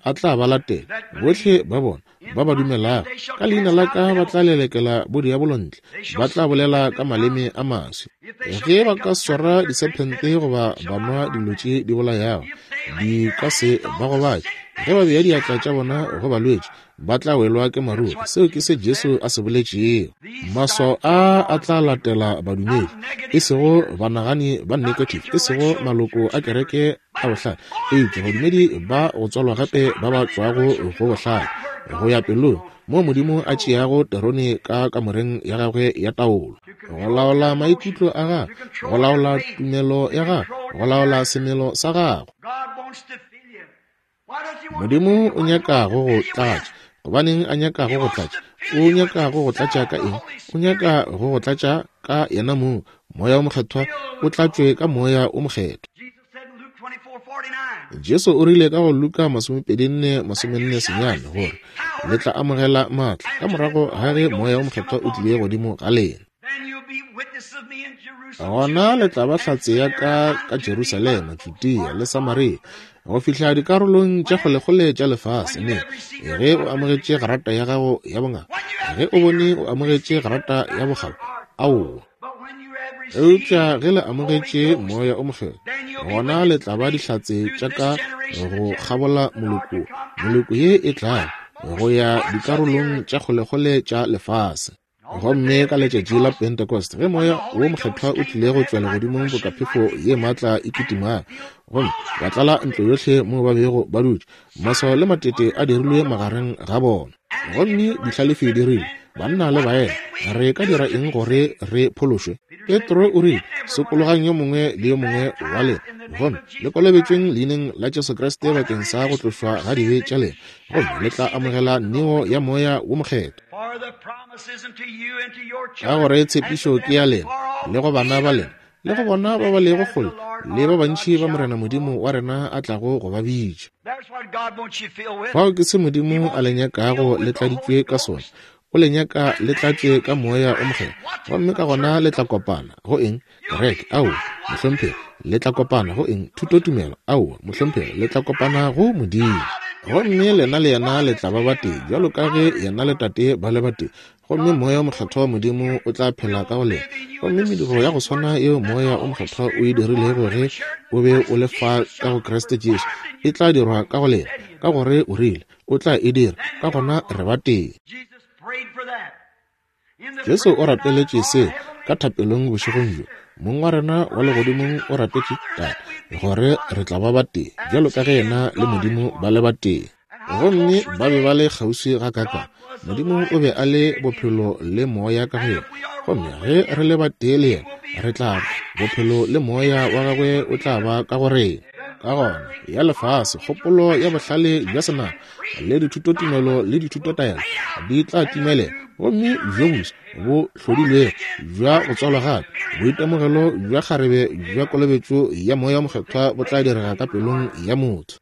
a tla ba latela bohle ba bona ba ba dumelago. Ka leina la ka ba tla lelekela bodiabolo ntle, ba tla bolela ka maleme a maswi. Ge ba ka swara disephente goba ba nwa dilo tše di bolayago, di ka se ba gobatše. Ge ba bea diatla tša bona go balwetši, ba tla welwa ke maruri. Seo ke se Jesu a se boletšego. Maswao a a tla latela badumedi, e sego banagani ba negative, e sego maloko a kereke a bohlale, eupša badumedi ba go tswalwa gape ba ba tšwago go bohlale go ya pelong, moo Modimo a tšeago terone ka kamoreng ya gagwe ya taolo, go laola maikutlo a gagwe, go laola tumelo ya gagwe, go laola semelo sa gagwe. Modimo o nyaka go go tlatša. Gobaneng a nyaka go go tlatša? O nyaka go go tlatša ka eng? O nyaka go go tlatša ka yena mong, Moya wo Mokgethwa, o tlatšwe ka Moya wo Mokgethwa. Jesu o rile ka go Luka 24:49 gore le tla amogela maatla ka morago ga ge Moya wo Mokgethwa o tlile godimo ga lena. Gona le tla ba hlatse ya ka ka Jerusalema, Judea le Samaria, go fihla dikarolong tša kgolekgole tša lefase. Ne ge o amogetše grata ya gago ya bongaka, ge o bone o amogetše grata ya bokgabo, aowa. Eupša ge le amogetše Moya o Mokgethwa, gona le tla ba dihlatse tša ka go kgabola moloko, moloko ye e tlago, go ya dikarolong tša kgolekgole tša lefase. Gomme ka letšatši la Pentecost, ge Moya wo Mokgethwa o tlile go tšwa legodimong boka phefo ye maatla e kitimago, gomme wa tlala ntlo yohle moo ba bego ba dutše, maswao le matete a dirilwe magareng ga bona. Gomme dihlalefi di rile, Banna le baena, re ka dira eng gore re phološwe? Petro o rile, Sokologang yo mongwe le yo mongwe wa lena, gomme le kolobetšweng leineng la Jesu Kriste bakeng sa go tlošwa ga dibe tša lena, gomme le tla amogela neo ya Moya wo Mokgethwa. Ka gore tshepišo ke ya lena, le go bana ba lena, le go bona ba ba lego kgole, le ba bantši ba Morena Modimo wa rena a tlago go ba bitša. Fao ke se Modimo a le nyakago le tladitšwe ka sona. O le nyaka le tlatšwe ka Moya o Mokgethwa, gomme ka gona le tla kopana go eng? Kereke? Aowa, mohlomphegi. Le tla kopana go eng? Thutotumelo? Aowa, mohlomphegi. Le tla kopana go Modimo. Gomme lena le yena le tla ba batee, bjalo ka ge yena le Tate ba le batee. Gomme Moya o Mokgethwa wa Modimo o tla phela ka go lena. Gomme mediro ya go swana yeo Moya o Mokgethwa o e dirilego ge o be o le fa ka go Kriste Jesu, e tla dirwa ka go lena, ka gore o rile o tla e dira. Ka gona re batee. Jesu o rapeletše se ka thapelong bošegong bjo. Mong wa rena wa legodimong o rapetše Tate gore re tla ba batee, bjalo ka ge yena le Modimo ba le batee. Gomme ba be ba le kgauswi gakaakang. Modimo o be a le bophelo le moya ka go yena. Gomme ge re le batee le yena, re tla ba, bophelo le moya wa gagwe o tla ba ka go rena. Ka gona, ya lefase, kgopolo ya bohlale bja senama, le dithutotumelo le dithutotaelo di tla timelela, gomme bjo boswa bo hlodilwego bja go tswalwa gape, boitemogelo bja kgarebe bja kolobetšo ya Moya wo Mokgethwa bo tla direga ka pelong ya motho.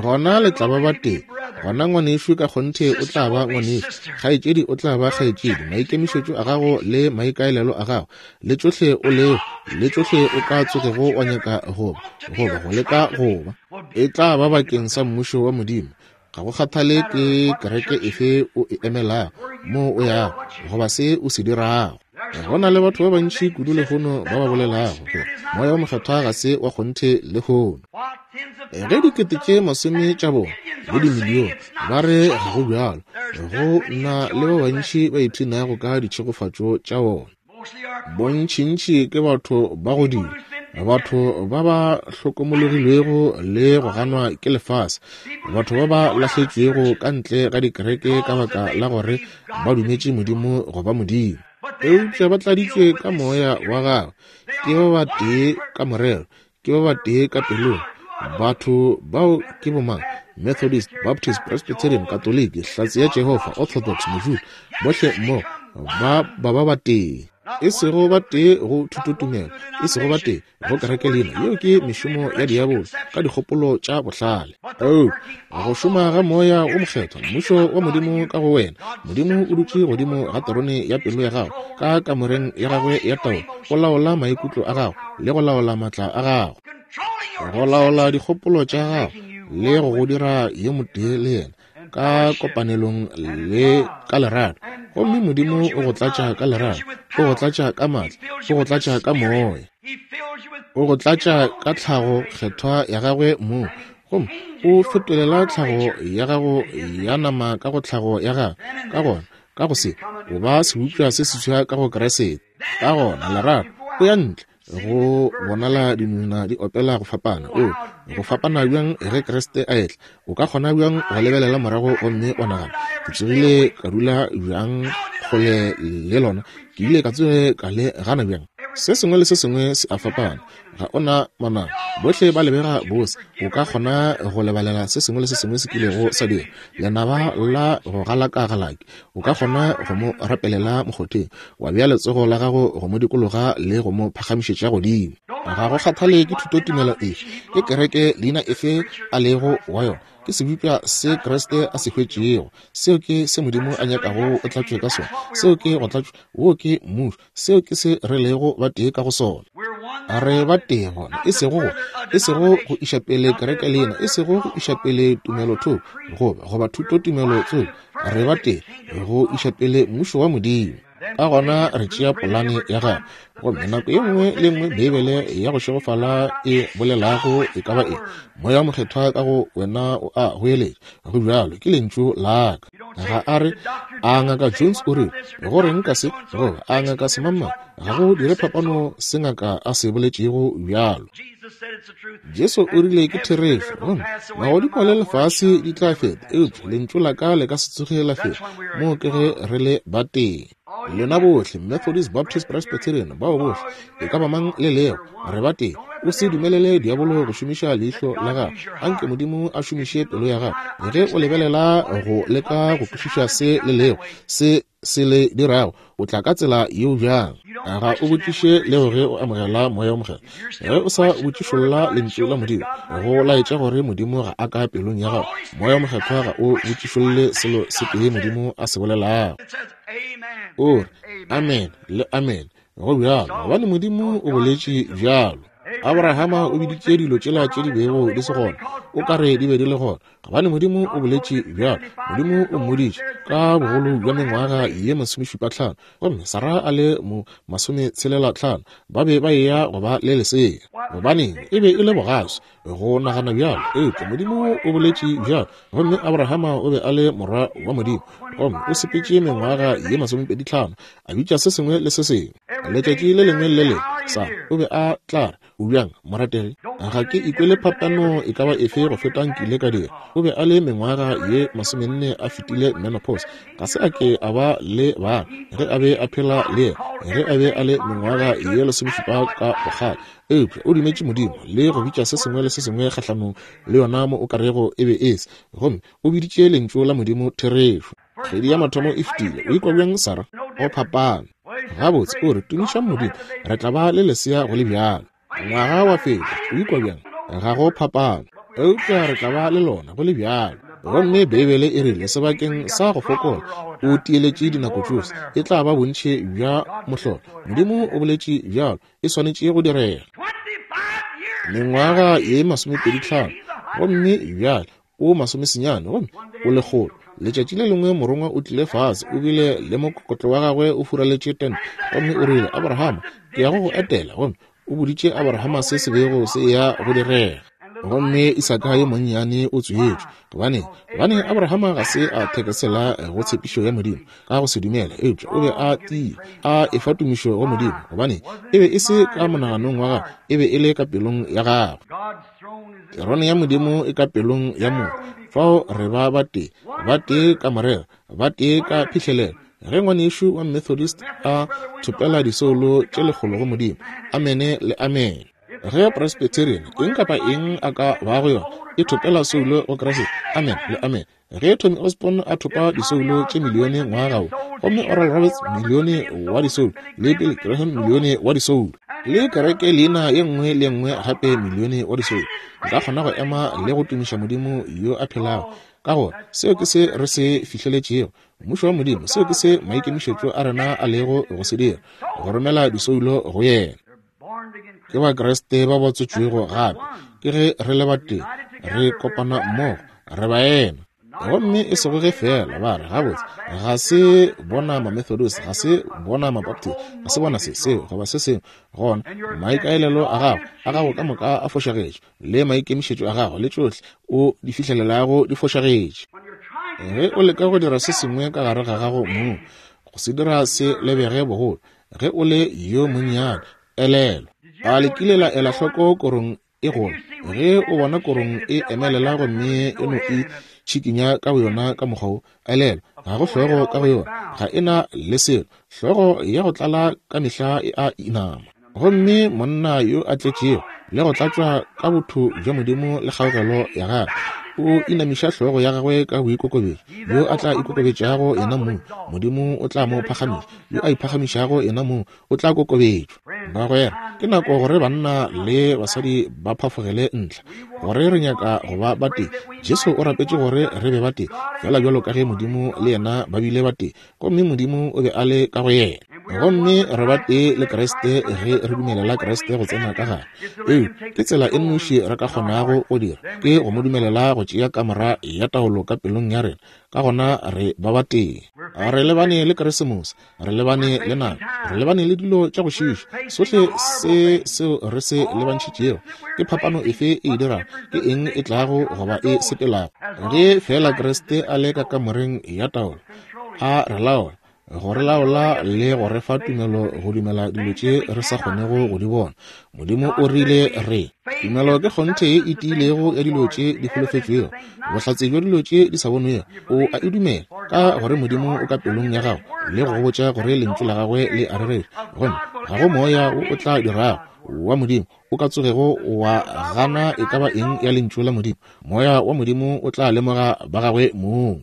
Gona le tla ba batee. Gona ngwanešu ka kgonthe o tla ba ngwanešu, kgaetšedi o tla ba kgaetšedi. Maikemišetšo a gago le maikaelelo a gago, le tšohle o lego, le tšohle o ka tsogego wa nyaka go ba, goba go leka go ba, e tla ba bakeng sa Mmušo wa Modimo. Ga go kgathale ke kereke efe o e emelago, moo o yago, goba se o se dirago. Go na le batho ba bantši kudu lehono ba ba bolelago gore Moya wo Mokgethwa ga se wa kgonthe lehono. Ge dikete tše masome tša bona le dimilione ba re ga go bjalo, go na le ba bantši ba ipshinago ka ditšhegofatšo tša wona. Bontšintši ke batho ba go dira, batho ba ba hlokomologilwego le go ganwa ke lefase, batho ba ba lahletšwego ka ntle ga dikereke ka baka la gore ba dumetše Modimo go ba Modimo. Eupša ba tladitšwe ka Moya wa Gagwe, ke ba batee ka morero, ke ba batee ka pelong. Batho bao ke bomang? Methodist, Baptist, Presbyterian, Katoliki, Hlatse ya Jehofa, Orthodox, Mojuda, bohle mmogo ba ba ba batee. E sego batee go thutotumelo, e sego batee go kereke leina. Yeo ke mešomo ya diabolo ka dikgopolo tša bohlale. Oh, go šoma ga Moya wo Mokgethwa, Mmušo wa Modimo ka go wena. Modimo o dutše godimo ga terone ya pelo ya gago, ka kamoreng ya gagwe ya taolo, o laola maikutlo a gago le go laola maatla a gago, go laola dikgopolo tša gago le go go dira yo motee le yena ka kopanelong le ka lerato. Gomme Modimo o go tlatša ka lerato, o go tlatša ka maatla, o go tlatša ka Moya, o go tlatša ka tlhago kgethwa ya gagwe mong, gomme o fetolela tlhago ya gago ya nama ka go tlhago ya gagwe. Ka gona, ka go se, o ba sebopša se seswa ka go Kriste. Ka gona, lerato, o ya ntle go bonala dinonyana di opela go fapana. O go fapana bjang ge Kriste a etla? O ka kgona bjang go lebelela morago gomme wa nagana, ke tsogile ka dula bjang kgole le lona? Ke ile ka tsoge ka le gana bjang? Se sengwe le se sengwe se a fapana. Ga o na manaba, bohle ba lebega bose. O ka kgona go lebalela se sengwe le se sengwe se kilego sa dira. Lenaba la go galaka-galaki, o ka kgona go mo rapelela mokgotheng, wa bea letsogo la gago go mo dikologa le go mo phagamišetša godimo. Ga go kgathale ke thutotumelo efe, ke kereke leina efe a lego wa yona, ke sebopša se Kriste a se hwetšego. Seo ke se Modimo a nyakago o tlatšwe ka sona. Seo ke go tlatšwa. Woo ke Mmušo. Seo ke se re lego batee ka go sona. Re batee gona, e sego go, e sego go iša pele kereke leina, e sego go iša pele tumelothoko, goba, goba thutotumelo tsoko. Re batee go iša pele Mmušo wa Modimo. Ka gona re tšea polane ya Gagwe. Gomme nako ye nngwe le nngwe Beibele ya go šegofala e bolelago e ka ba eng, Moya wo Mokgethwa ka go wena o a goeletša, Go bjalo, ke Lentšu la Ka. Ga a re, A Ngaka Jones o rile, go reng ka se, goba a Ngaka Semangmang? Ga go dire phapano se ngaka a se boletšego bjalo. Jesu o rile ke therešo, gomme magodimo le lefase di tla feta, eupša Lentšu la ka le ka se tsoge la feta. Moo ke ge re le batee. Lena bohle, Methodist, Baptist, Presbyterian, bao bohle, e ka ba mang le lego, re batee. O se dumelele diabolo go šomiša leihlo la gago. Anke Modimo a šomiše pelo ya gago. Ge o lebelela go leka go kwešiša se le lego, se se le dirago, o tla ka tsela yeo bjang? Ga o botšiše leo ge o amogela Moya wo Mokgethwa. Ge o sa botšišolla Lentšu la Modimo, go laetša gore Modimo ga a ka pelong ya gago. Moya wo Mokgethwa ga o botšišolle selo se tee Modimo a se bolelago. O re, Amen le amen. Go bjalo, gobane Modimo o boletše bjalo. Abrahama o biditše dilo tšela tše di bego di se gona, o ka re di be di le gona, gobane Modimo o boletše bjalo. Modimo o mmoditše ka bogolo bja mengwaga ye masomešupatlhano, gomme Sara a le mo masometshelelathlano, ba be ba eya go ba le lesea. Gobaneng, e be e le bogaswi go nagana bjalo, eupša Modimo o boletše bjalo. Gomme Abrahama o be a le morwa wa Modimo, gomme o sepetše mengwaga ye masomepeditlhano, a bitša se sengwe le se sengwe. Letšatši le lengwe le le lengwe, Sara o be a tla re, O bjang, morategi? Ga ke ikwele phapano e ka ba efe go feta nkile ka dira. O be a le mengwaga ye masomenne a fetile menopause. Ga se a ke a ba le bana ge a be a phela le yena, ge a be a le mengwaga ye lesomešupa ka bokgale. Eupša o dumetše Modimo le go bitša se sengwe le se sengwe kgahlanong le yona mo o ka rego e be e se, gomme o biditše Lentšu la Modimo therešo. Kgwedi ya mathomo e fetile. O ikwa bjang, Sarah? Go phapano. Gabotse, o re, tumišang Modimo, re tla ba le lesea go le bjalo. Ngwaga wa feta. O ikwa bjang? Ga go phapano. Eupša re tla ba le lona go le bjalo. Gomme Beibele e rile, sebakeng sa go fokola, o tieletše dinako tšohle, e tla ba bontši bja mohlolo. Modimo o boletše bjalo, e swanetše go direga. Mengwaga ye 25, gomme bjale o 90, gomme o lekgolo. Letšatši le lengwe morongwa o tlile fase, o bile le mokokotlo wa gagwe o furaletše tente, gomme o rile, Abrahama, ke ya go go etela. Gomme o boditše Abrahama se se bego se ya go direga. Gomme Isaka yo monnyane o tswetšwe. Gobane, gobane Abrahama ga se a thekesela go tshepišo ya Modimo ka go se dumela, eupša o be a tiile, a efa tumišo go Modimo, gobane e be e se ka monaganong wa gagwe, e be e le ka pelong ya gagwe. Terone ya Modimo e ka pelong ya motho. Fao re ba batee, batee ka morero, batee ka phihlelelo. Ge ngwanešu wa Methodist a thopela disoulo tše lekgolo go Modimo, amene le amene. Ge Presbyterian, eng kapa eng a ka bago yona, e thopela soulo go Kriste, amen le amen. Ge Tommy Osborn a thopa disoulo tše milione ngwaga wo, gomme Oral Roberts milione wa disoulo, le Billy Graham milione wa disoulo, le kereke leina ye nngwe le nngwe gape milione wa disoulo, nka kgona go ema le go tumiša Modimo yo a phelago, ka gore seo ke se re se fihleletšego, Mmušo wa Modimo. Seo ke se maikemišetšo a rena a lego go se dira, go romela disoulo go yena. Ke Bakriste ba ba tswetšwego gape, ke ge re le batee, re kopana mmogo, re baena. Gomme e sego ge feela ba re, gabotse, ga se bona Mamethodist, ga se bona Mabaptist, ga se bona se, seo, goba se sengwe. Gona maikaelelo a gago, a gago ka moka a fošagetše, le maikemišetšo a gago le tšohle o di fihlelelago di fošagetše. Ge o leka go dira se sengwe ka gare ga gago mong, go se dira se lebege bogolo, ge o le yo monnyane, elelwa. A le kile la ela hloko korong e gola? Ge o bona korong e emelela gomme e no e tšhikinya ka boyona ka mokgwa wo, elelwa, ga go hlogo ka go yona, ga e na le selo. Hlogo ya go tlala ka mehla e a inama. Gomme monna yo a tletšego le go tlatšwa ka botho bja Modimo le kgaogelo ya gagwe, o inamiša hlogo ya gagwe ka boikokobetšo. Yo a tla ikokobetšago yena mong, Modimo o tla mo phagamiša. Yo a iphagamišago yena mong, o tla kokobetšwa. Bagwera, ke nako gore banna le basadi ba phafogele ntlha gore re nyaka go ba batee. Jesu o rapetše gore re be batee, feela bjalo ka ge Modimo le yena ba bile batee, gomme Modimo o be a le ka go yena. Gomme re batee le Kriste ge re dumelela Kriste go tsena ka gare. Ee, ke tsela e nnoši re ka kgonago go dira, ke go mo dumelela go tšea kamora ya taolo ka pelong ya rena. Ka gona re ba batee. Re lebane le Keresemose, re lebane le nako, re lebane le dilo tša go šiiša. Sohle se seo re se lebantšhitšego, ke phapano efe e e dirago? Ke eng e tlago goba e sepelago? Ge feela Kriste a le ka kamoreng ya taolo, a re laola, go re laola le go re fa tumelo go dumela dilo tše re sa kgonego go di bona. Modimo o rile re tumelo ke kgonthe ye e tiilego ya dilo tše di holofetšwego, bohlatse bja dilo tše di sa bonwego. O a e dumela ka gore Modimo o ka pelong ya gago le go go botša gore lentšu la gagwe le a rereša. Gomme ga go moya wo o tla dirago wa Modimo o ka tsogego wa gana e ka ba eng ya lentšu la Modimo. Moya wa Modimo o tla lemoga ba gagwe mong.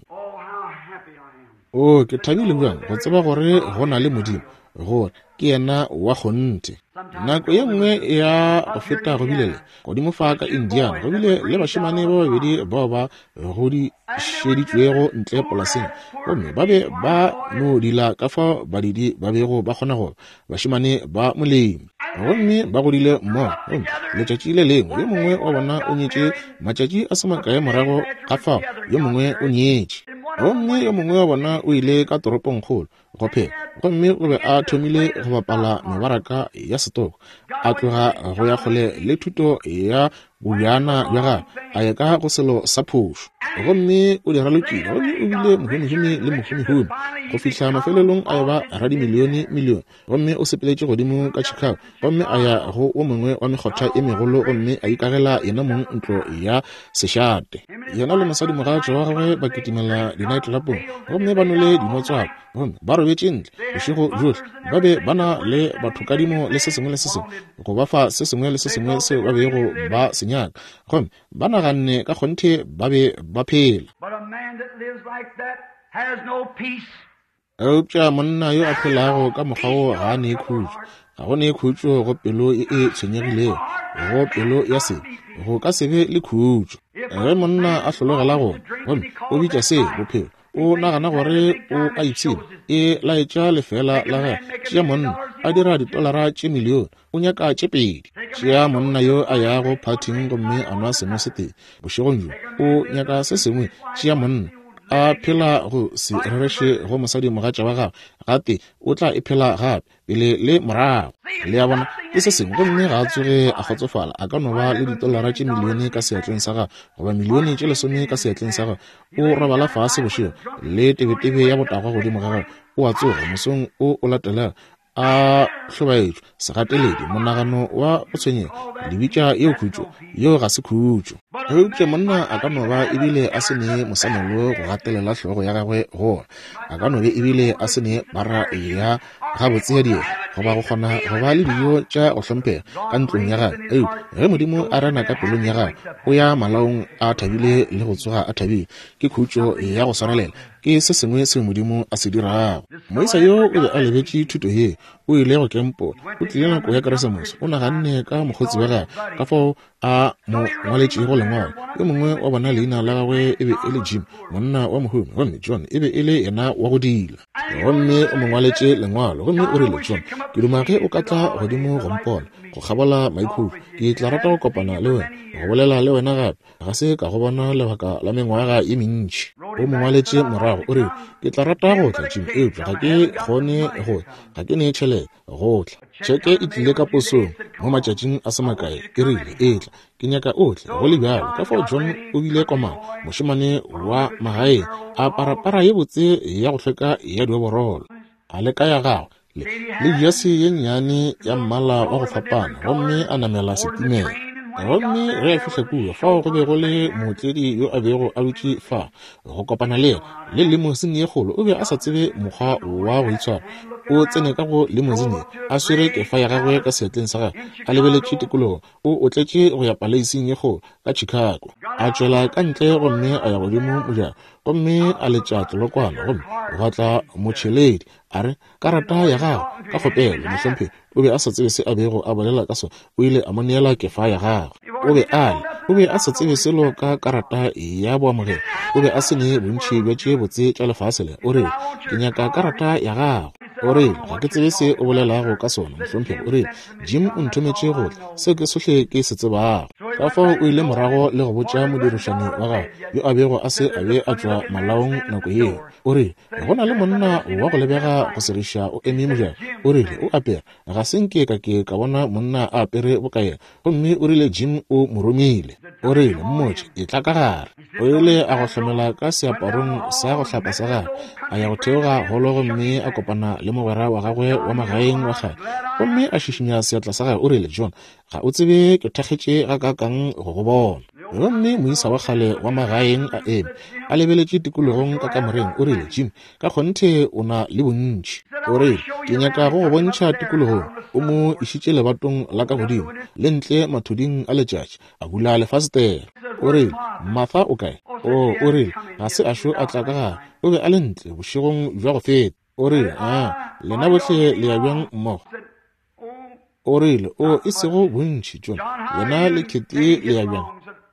O, ke thabile bjang go tseba gore go na le Modimo, gore ke yena wa kgonthe. Nako ye nngwe ya go feta go bile le, godimo fa ka Indiana, go bile le bašemane ba babedi bao ba godišeditšwego ntle polaseng, gomme ba be ba no dila ka fao badidi ba bego ba kgona go ba, bašemane ba molemi. Gomme ba godile mmogo, gomme letšatši le lengwe yo mongwe wa bona o nyetše, matšatši a se makae morago ga fao yo mongwe o nyetše. Gomme yo mongwe wa bona o ile ka toropongkgolo go phela, gomme o be a thomile go bapala mebaraka ya setoko, a tloga go ya kgole le thuto ya bobjana bja gagwe, a ya ka go selo sa phošo. Gomme o di ralokile, gomme o bile mohumihumi le mohumihumi, go fihla mafelelong a eba radimilione milione. Gomme o sepeletše godimo ka Chicago, gomme a ya go wo mongwe wa mekgotha e megolo, gomme a ikagela yena mong ntlo ya sešate. Yena le mosadimogatša wa gagwe ba kitimela di-nightclubong, gomme ba nwele dinotswako, gomme ba robetše ntle bošego bjohle. Ba be ba na le bathokadimo le se sengwe le se sengwe, go ba fa se sengwe le se sengwe seo ba bego ba se nyaka, gomme ba naganne ka kgonthe ba be ba phela. Eupša monna yo a phelago ka mokgwa wo ga a ne khutšo. Ga go ne khutšo go pelo e e tshwenyegilego, go pelo ya sebe go ka se be le khutšo. Ge monna a hlologela go gomme o bitša se bophelo, o nagana gore o a ipshina, e laetša lefeela la gagwe. Tšea monna a dira ditolara tše milione, o nyaka tše pedi. Tšea monna yo a yago phathing gomme a nwa seno se tee bošegong bjo, o nyaka se sengwe. Tšea monna a phela go se rereše go mosadimogatša wa gagwe, gate o tla e phela gape pele le morago. Le a bona, ke se sengwe, gomme ga a tsoge a kgotsofala. A ka no ba le ditolara tše milione ka seatleng sa gagwe, goba milione tše lesome ka seatleng sa gagwe. O robala fase bošego le tebetebe ya botagwa godimo ga gagwe. O a tsoga mosong o o latelago a hlobaetšwa, segateledi, monagano wa go tshwenyega. Le bitša yeo khutšo? Yeo ga se khutšo. Eupša monna a ka no ba ebile a se ne mosamelo go gatelela hlogo ya gagwe go ona. A ka no be ebile a se ne bara ya gabotse ya dieta, goba go kgona go ba le dijo tša go hlomphega ka ntlong ya gagwe. Eupša ge Modimo a rena ka pelong ya gagwe, o ya malaong a thabile le go tsoga a thabile. Ke khutšo ya go swarelela. Ke se sengwe seo Modimo a se dirago. Moisa yo o be a lebetše thuto ye. O ile go kempola. O tlile nako ya Keresemose. O naganne ka mokgotsi wa gagwe, ka fao a mo ngwaletšego lengwalo. Yo mongwe wa bona leina la gagwe e be e le Jim, monna wa mohumi, gomme John e be e le yena wa go dila. Gomme o mo ngwaletše lengwalo, gomme o rile, John, ke duma ge o ka tla godimo go mpona, go kgabola maikhutšo. Ke tla rata go kopana le wena, go bolela le wena gape. Ga se ka go bona lebaka la mengwaga ye mentši. O mo ngwaletše morago, o rile, Ke tla rata go tla, Jim, eupša ga ke kgone go tla. Ga ke ne tšhelete go tla. Tšheke e tlile ka posong mo matšatšing a se makae, e rile, Etla, ke nyaka o tle, go le bjalo. Ka fao John o bile komana, mošemane wa magaeng, a apara para ye botse ya go hlweka ya dioborolo, a leka ya gagwe le, le jase ye nnyane ya mmala wa go fapana, gomme a namela setimela. Gomme ge a fihla kua, fao go be go le mootledi yo a bego a dutše fa go kopana le yena, le limousine ye kgolo. O be a sa tsebe mokgwa wa go itshwara. O tsene ka go limousine ye, a swere kefa ya gagwe ka seatleng sa gagwe, a lebeletše tikologo. O otletše go ya paleising ye kgolo ka Chicago. A tšwela ka ntle gomme a ya godimo mojako, gomme a letša tlolokwana, gomme gwa tla motšheledi. A re, Karata ya gago, ka kgopelo, mohlomphegi. O be a sa tsebe se a bego a bolela ka sona. O ile a mo neela kefa ya gagwe. O be a le, o be a sa tsebe selo ka karata ya boamogelo. O be a se ne bontši bja tše botse tša lefase le. O rile, Ke nyaka karata ya gago. O rile, Ga ke tsebe se o bolelago ka sona, mohlomphegi. O rile, Jim o nthometše go tla. Seo ke sohle ke se tsebago. Ka fao o ile morago le go botša modirišani wa gagwe, yo a bego a se a be a tšwa malaong nako yeo. O rile, Go na le monna wa go lebega go segiša o eme mojako. O rile, O apere. Ga se nke ka ke ka bona monna a apere boka yena. Gomme o rile Jim o mo romile. O rile, Mmotše, etla ka gare. O ile a go hlomela ka seaparong sa go hlapa sa gagwe, a ya go theoga holo gomme a kopana le mogwera wa gagwe wa magaeng wa kgale. Gomme a šišinya seatla sa gagwe, o rile, John, ga o tsebe ke thakgetše gakaakang go go bona. Gomme moisa wa kgale wa magaeng a eme, a lebeletše tikologong ka kamoreng, o rile, Jim, ka kgonthe o na le bontši. O rile, Ke nyaka go go bontšha tikologong. O mo išitše lebatong la ka godimo, le ntle mathuding a letšatši, a bula lefasetere. O rile, Martha o kae? O, o rile, ga se a šo a tla ka gare. O be a le ntle bošegong bja go feta. O rile, A lena bohle le ya bjang mmogo? O rile, O, e sego bontši, John. Wena le Kate le ya bjang?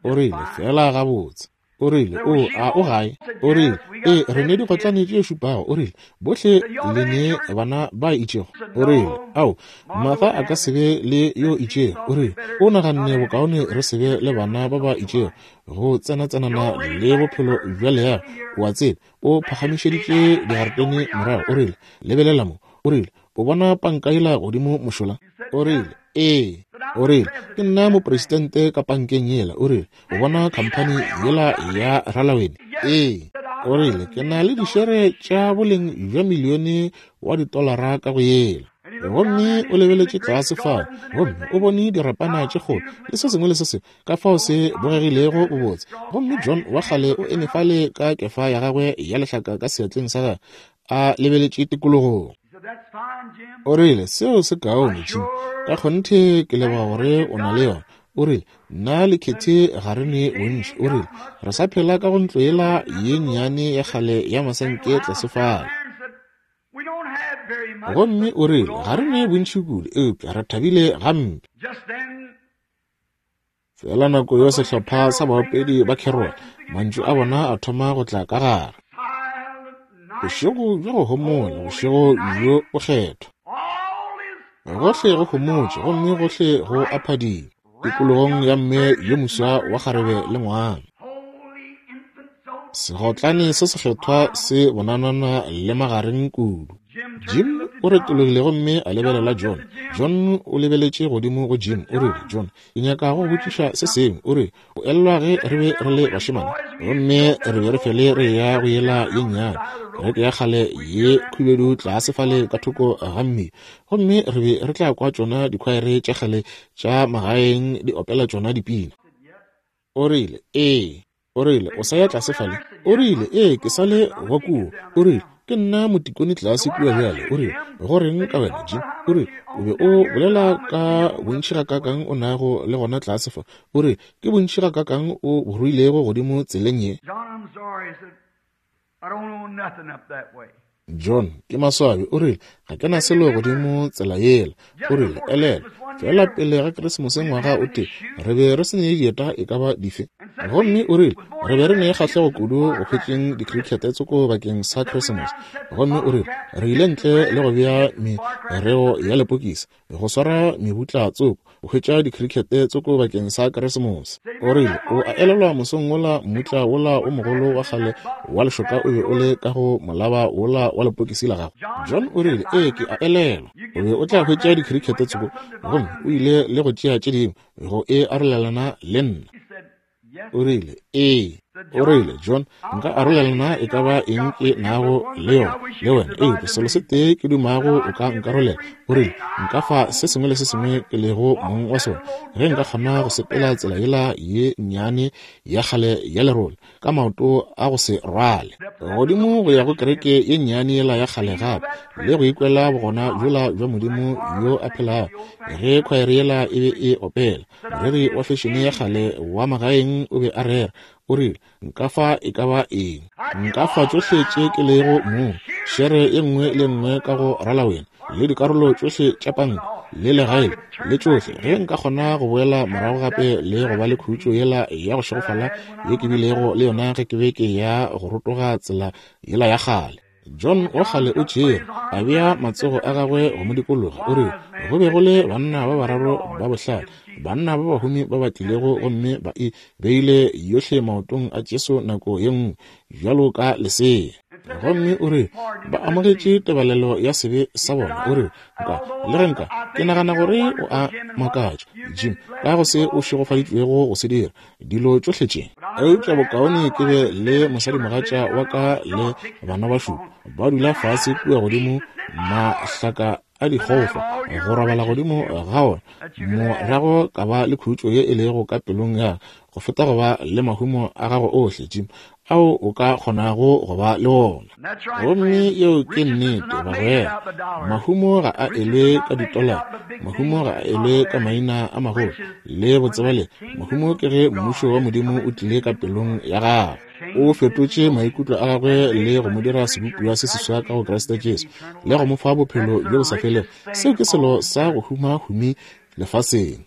O rile, Feela gabotse. O rile, O, a o gae? O rile, Ee, re ne digotlane tše šupago. O rile, Bohle le ne bana ba itšego? O rile, Ao, Martha a ka se be le yo itšego. O rile, O naganne bokaone re se be le bana ba ba itšego, go tsenatsenana le bophelo bja leago, o a tseba. O phagamišeditše digaretene morago. O rile, Lebelela mo. O rile, O bona panka yela godimo mošola? O rile, Ee. O rile, Ke nna mopresidente ka pankeng yela. O rile, O bona khamphani yela ya Ralawene? Ee. O rile, Ke na le dišere tša boleng bja milione wa ditolara ka go yela. Gomme o lebeletše tlase fao, gomme o bone dirapana tše kgolo le se sengwe le se sengwe, ka fao se bogegilego bobotse. Gomme John wa kgale o eme fale ka kefa ya gagwe ya lehlaka ka seatleng sa gagwe, a lebeletše tikologong. O rile, Seo se kaone, Jim. Ka kgonthe ke leboga gore o na le yona. O rile, Nna le Kathy ga re ne bontši. O rile, Re sa phela ka go ntlo yela ye nnyane ya kgale ya masenke tlase fale. Gomme o rile, Ga re ne bontši kudu, eupša re thabile gampe. Fela nako yo sehlopha sa baopedi ba carol, mantšu a bona a thoma go tla ka gare. Bošego bja go homola, bošego bjo bokgethwa. Gohle go homotše gomme gohle go a phadima tikologong ya mme yo moswa wa kgarebe le ngwana. Segotlane se sekgethwa se bonanana le magareng kudu. Jim o retologile gomme a lebelela John. John o lebeletše godimo go Jim. O rile, John, ke nyaka go botšiša se sengwe. O re, o elelwa ge re be re le bašemane gomme re be re fele re ya go yela ye nnyane kereke ya kgale ye khubedu tlase fale ka thoko ga mmila, gomme re be re tla kwa tšona dikhwaere tša kgale tša magaeng di opela tšona dipina. O rile, Ee. O rile, O sa ya tlase fale? O rile, Ee, ke sa le wa kua. O rile, Ke nna motikone tlase kua bjale. O rile, Go reng ka wena, Jim? O rile, O be o bolela ka bontši gakaakang o nago le gona tlase fa. O rile, Ke bontši gakaakang o bo ruilego godimo tseleng ye. John, ke maswabi, o rile, ga ke na selo godimo tsela yela. O rile, Elelwa, feela pele ga Keresemose ngwaga o tee, re be re se ne dieta e ka ba dife. Gomme o rile, re be re ne kgahlego kudu go hwetšeng dikrikete tsoko bakeng sa Keresemose. Gomme o rile, re ile ntle le go bea mereo ya lepokisi, go swara mebutla tsoko, go hwetša dikrikete tsoko bakeng sa Keresemose. O rile, O a elelwa mosong wola mmutla wola o mogolo wa kgale wa lešoka o be o le ka go molaba wola wa lepokisi la gago? John o rile, Ee, ke a elelwa. O be o tla hwetša dikrikete tsoko, gomme o ile le go tšea tše dingwe go e arolelana le nna. O rile, Ee. O rile, John, nka arolelana e ka ba eng ke nago le yona le wena, eupša selo se tee ke dumago o ka nkarolela. O rile, Nka fa se sengwe le se sengwe ke lego mong wa sona, ge nka kgona go sepela tsela yela ye nnyane ya kgale ya lerole ka maoto a go se rwale, godimo go ya go kereke ye nnyane yela ya kgale gape, le go ikwela bogona bjola bja Modimo yo a phelago, ge khwaere yela e be e opela. Moreri wa fešene ya kgale wa magaeng o be a rera, o rile, Nka fa e ka ba eng. Nka fa tšohle tše ke lego mong, šere ye nngwe le nngwe ka go ralawena, le dikarolo tšohle tša panka, le legae, le tšohle, ge nka kgona go boela morago gape le go ba le khutšo yela ya go šegofala ye ke bilego le yona ge ke be ke ya go rotoga tsela yela ya kgale. John wa kgale o tšere, a bea matsogo a gagwe go mo dikologa, o rile, Go be go le banna ba bararo ba bohlale, banna ba bahumi ba ba tlilego gomme ba e beile yohle maotong a Jesu nako ye nngwe, bjalo ka lesea. Gomme o rile, Ba amogetše tebalelo ya sebe sa bona. O rile, Nka, le ge nka, ke nagana gore o a makatša, Jim, ka go se o šegofaditšwego go se dira. dilo tšohle tše. Eupša bokaone ke be le mosadimogatša wa ka le bana ba šupa ba dula fase kua godimo mahlaka a dikgofa go robala godimo ga ona, morago ka ba le khutšo ye e lego ka pelong ya go feta go ba le mahumo a gago ohle, Jim, ao o ka kgonago go ba le ona. Gomme yeo ke nnete, bagwera. Mahumo ga a elwe ka ditolara, mahumo ga a elwe ka maina a magolo le botsebalegi. Mahumo ke ge Mmušo wa Modimo o tlile ka pelong ya gago, o fetotše maikutlo a gagwe le go mo dira sebopiwa se seswa ka go Kriste Jesu, le go mo fa bophelo bjo bo sa felego. Seo ke selo sa go huma-humi lefaseng.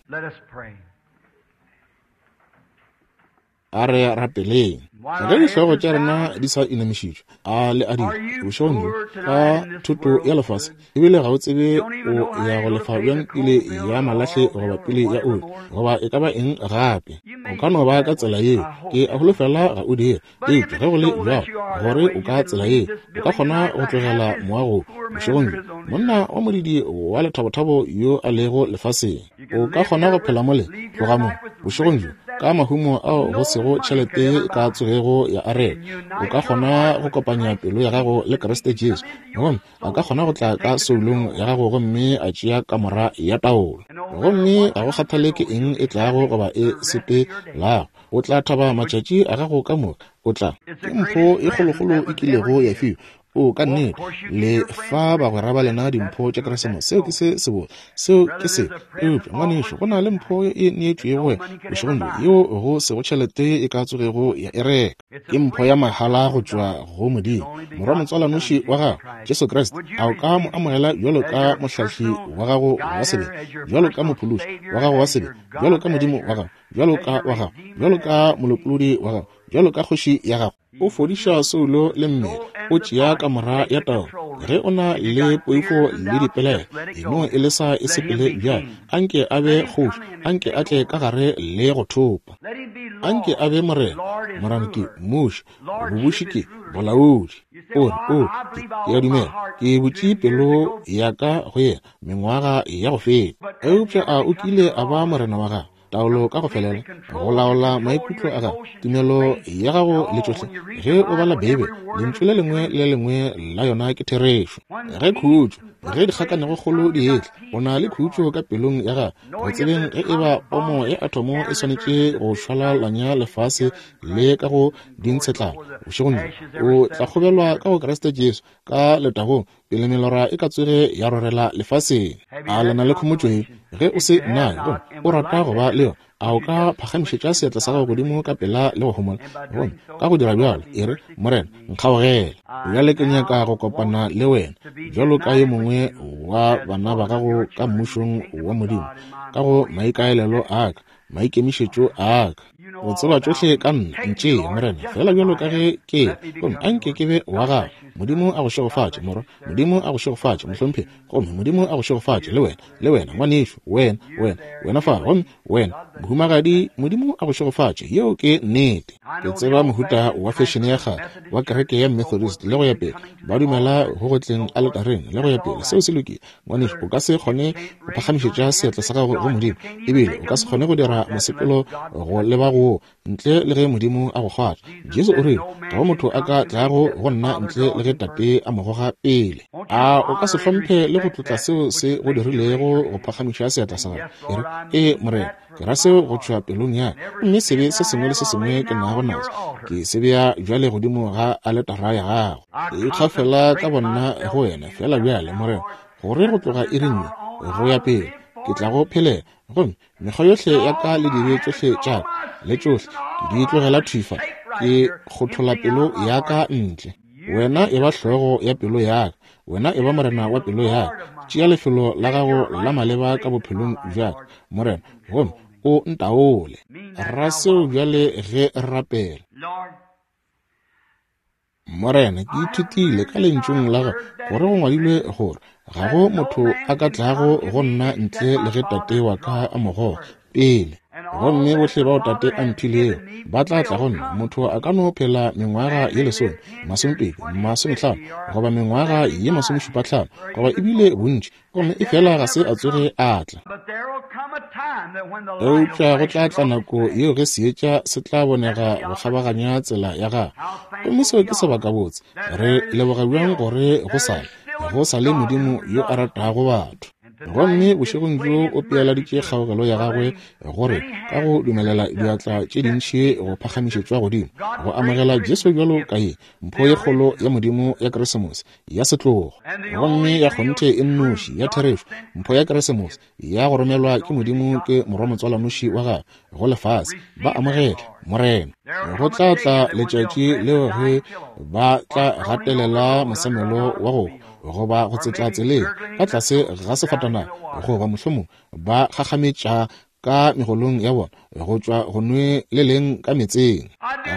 A re rapeleng. Ge dihlogo tša rena di sa inamišitšwe, a le a dira bošegong bjo ka thoto ya lefase, ebile ga o tsebe o ya go lefa bjang pele ya malahle goba pele ya oli goba e ka ba eng gape. O ka no ba ka tsela yeo, ke a holofela ga o dire. Eupša ge go le bjalo gore o ka tsela yeo, o ka kgona go tlogela moago bošegong bjo, monna wa modidi wa lethabothabo yo a lego lefaseng. O ka kgona go phela mole, tloga mo, bošegong bjo, ka mahumo ao go sego tšhelete ye e ka tsogego ya a reka. O ka kgona go kopanya pelo ya gago le Kriste Jesu, gomme a ka kgona go tla ka soulong ya gago gomme a tšea kamora ya taolo. Gomme ga go kgathale ke eng e tlago goba e sepelago, o tla thaba matšatši a gago ka moka. O tla. Ke mpho e kgolokgolo e kilego ya fiwa. O, ka nnete, le fa bagwera ba lena dimpho tša Keresemose. Seo ke se sebotse. Seo ke se. Eupša, ngwanešu, go na le mpho e neetšwego wena bošegong bjo, yeo go sego tšhelete e ka tsogego ya e reka. Ke mpho ya mahala go tšwa go Modimo, Morwa motswalanoši wa gago, Jesu Kriste. A o ka mo amogela bjalo ka mohlahli wa gago wa sebele, bjalo ka mophološi wa gago wa sebele, bjalo ka Modimo wa gago, bjalo ka wa gago, bjalo ka molopolodi wa gago, bjalo ka kgoši ya gago? O fodiša soulo le mmele, o tšea kamora ya taolo. Ge o na le poifo le dipelaelo, e no e lesa e sepele bjale. Anke a be kgoši, anke a tle ka gare le go thopa. Anke a be morena, morena ke mmuši, bobuši ke bolaodi. O re, O, ke, ke a dumela, ke butše pelo ya ka go yena mengwaga ya go feta. Eupša a o kile a ba morena wa gago? Taolo ka go felela, go laola maikutlo a gago, tumelo ya gago le tšohle. Ge o bala Beibele, lentšu le lengwe le le lengwe la yona ke therešo. Ge khutšo, ge dikgakanegokgolo di etla, o na le khutšo ka pelong ya gago, go tsebeng ge e ba pomo ya atomo e swanetše go šwalalanya lefase le ka go dintshetlana bošegong bjo, o tla kgobelwa ka go Kriste Jesu ka letagong pele melora e ka tsoge ya rorela lefaseng. A le na le khomotšo ye? Ge o se nayo gomme o rata go ba le yona, a o ka phagamišetša seatla sa gago godimo ka pela le go homola? Gomme ka go dira bjalo, e re, Morena, nkgaogele. Bjale ke nyaka go kopana le wena bjalo ka yo mongwe wa bana ba gago ka Mmušong wa Modimo, ka go maikaelelo a ka, maikemišetšo a ka. O tseba tšohle ka nna. Ntšee, Morena, feela bjalo ka ge ke le, gomme a nke ke be wa gago. Modimo a go šegofatše, morwa. Modimo a go šegofatše, mohlomphegi. Gomme Modimo a go šegofatše, le wena, le wena, ngwanešu, wena, wena, wena fa, gomme wena, mohumagadi. Modimo a go šegofatše. Yeo ke nnete. Ke tseba mohuta wa fešene ya kgale wa kereke ya Methodist le go ya pele, ba dumela go go tleng aletareng le go ya pele. Seo se lokile. Ngwanešu, o ka se kgone go phagamišetša seatla sa gago go Modimo, ebile o ka se kgone go dira mosepelo go leba go ntle le ge Modimo a go kgwatha. Jesu o rile, Ga go motho a ka tlago go nna ntle le ge Tate a mo goga pele. A o ka se hlomphe le go tlotla seo se go dirilego go phagamiša seatla sa gago? E re, Ee, Morena, ke ra seo go tšwa pelong ya ka, gomme sebe se sengwe le se sengwe ke nago naso, ke se bea bjale godimo ga aletara ya gago. Ke ikgafela ka bonna go wena feela bjale, Morena, gore go tloga iring ye go ya pele ke tla go phelela, gomme mekgwa yohle ya ka le dibe tšohle tša ka le tšohle ke di tlogela thwi fa, ke kgothola pelo ya ka ntle. Wena e ba hlogo ya pelo ya ka, wena e ba morena wa pelo ya ka. Tšea lefelo la gago la maleba ka bophelong bja ka, Morena, gomme o ntaole. Ra seo bjale ge re rapela. Morena, ke ithutile ka Lentšung la Gago gore go ngwadilwe gore ga go motho a ka tlago go nna ntle le ge Tate wa ka a mo goga pele. Gomme bohle bao Tate a mphilego ba tla tla go nna. Motho a ka no phela mengwaga ye lesome, masomepedi, masomehlano, goba mengwaga ye masomešupahlano, goba ebile bontši, gomme efela ga se a tsoge a tla. Eupša go tla tla nako yeo ge seetša se tla bonega go kgabaganya tsela ya gagwe, gomme seo ke sebakabotse. Re leboga bjang gore go sa le, go sa le Modimo yo a ratago batho. Gomme bošegong bjo o pealaditše kgaogelo ya gagwe gore ka go dumelela diatla tše dintši go phagamišetšwa godimo go amogela Jesu bjalo ka ye mpho ye kgolo ya Modimo ya Keresemose ya setlogo, gomme ya kgonthe e nnoši ya therešo, mpho ya Keresemose ya go romelwa ke Modimo ke Morwa motswalanoši wa gagwe go lefase, ba amogele, Morena. Go tla tla letšatši leo ge ba tla gatelela mosamelo wa go goba go tsetla tseleng ka tlase ga sefatanaga, goba mohlomong ba gagametša ka megolong ya bona go tšwa go nwe le leng ka metseng.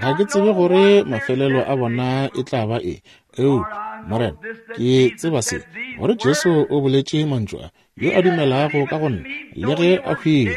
Ga ke tsebe gore mafelelo a bona e tla ba eng, eupša Morena, ke tseba se, gore Jesu o boletše mantšu a, Yo a dumelago ka go nna, le ge a hwile,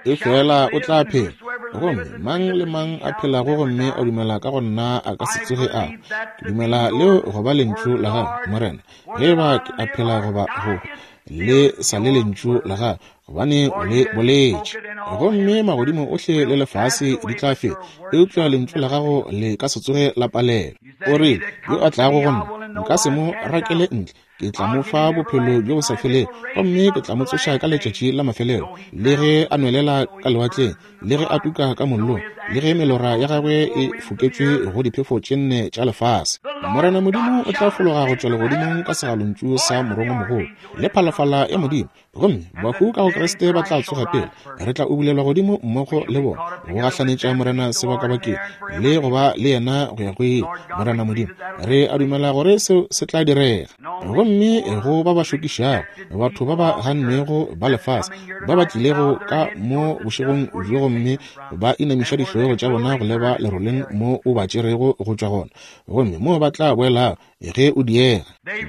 efela o tla phela. Gomme mang le mang a phelago gomme a dumela ka go nna a ka se tsoge a hwa. Ke dumela leo go ba Lentšu la Gago, Morena. Ge e ba ke a phela goba go hwa, le sa le Lentšu la Gago, gobane o le boletše. Gomme magodimo ohle le lefase di tla feta, eupša lentšu la gago le ka se tsoge la palelwa. O rile, Yo a tlago go nna, nka se mo rakele ntle. Ke tla mo fa bophelo bjo bo sa felego, gomme ke tla mo tsoša ka letšatši la mafelelo. Le ge a nwelela ka lewatleng, le ge a tuka ka mollong, le ge melora ya gagwe e foketšwe go diphefo tše nne tša lefase. Morena Modimo o tla fologa go tšwa legodimong ka segalontšu sa morongwamogolo le phalafala ya Modimo, gomme bahu ka go Kriste ba tla tsoga pele. Re tla ubulelwa godimo mmogo le bona go gahlanetša Morena sebakabakeng le go ba le yena go ya go ile. Morena Modimo, re a dumela gore seo se tla direga. Gomme go ba ba šokišago, batho ba ba gannwego ba lefase, ba ba tlilego ka mo bošegong bjo gomme ba inamiša dihlogo tša bona go leba leroleng mo o ba tšerego go tšwa gona, gomme mo ba tla boelago ge o diega.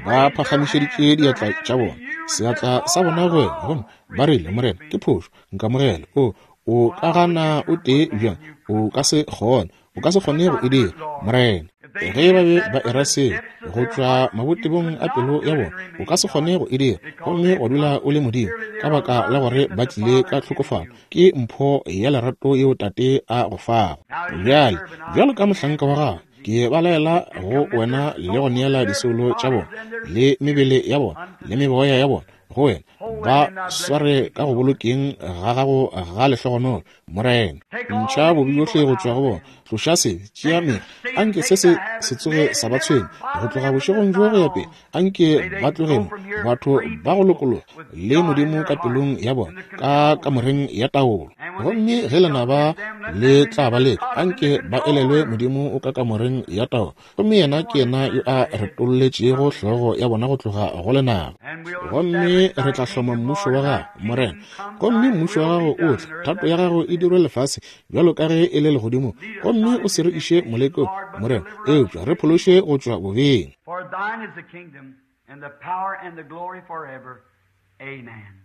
Ba phagamišeditše diatla tša bona, seatla sa bona go wena, gomme ba rile, Morena, ke phošo, nkamogele. O ka gana o tee bjang? O ka se kgone. O ka se kgone go e dira, Morena. Ge ba be ba era seo go tšwa mabotebong a pelo ya bona, o ka se kgone go e dira, gomme wa dula o le Modimo, ka baka la gore ba tlile ka tlhokofalo. Ke mpho ya lerato yeo Tate a go fago. Bjale, bjalo ka mohlanka wa gago, ke ba laela go wena le go neela disoulo tša bona le mebele ya bona le meboya ya bona go wena, ba sware ka go bolokeng ga gago ga lehlogonolo. Morena, ntšha bobe bjohle go tšwa go bona, tloša sebe, tšea mekgwa, anke se se se tsoge sa ba tshwenya go tloga bošegong bjo go ya pele. Anke ba tloge mo, batho ba go lokologa le Modimo ka pelong ya bona, ka kamoreng ya taolo. Gomme ge lenaba le tla ba leka, anke ba elelwe Modimo o ka kamoreng ya taolo, gomme yena ke yena yo a retolletšego hlogo ya bona go tloga go lenaba. Gomme re tla hloma mmušo wa gago, Morena, gomme mmušo wa gago o tle, thato ya gago e dirwe lefase bjalo ka ge e le legodimong. Gomme o se re iše molekong, Morena, eupša re phološe go tšwa bobeng. For thine is the kingdom and the power and the glory forever. Amen.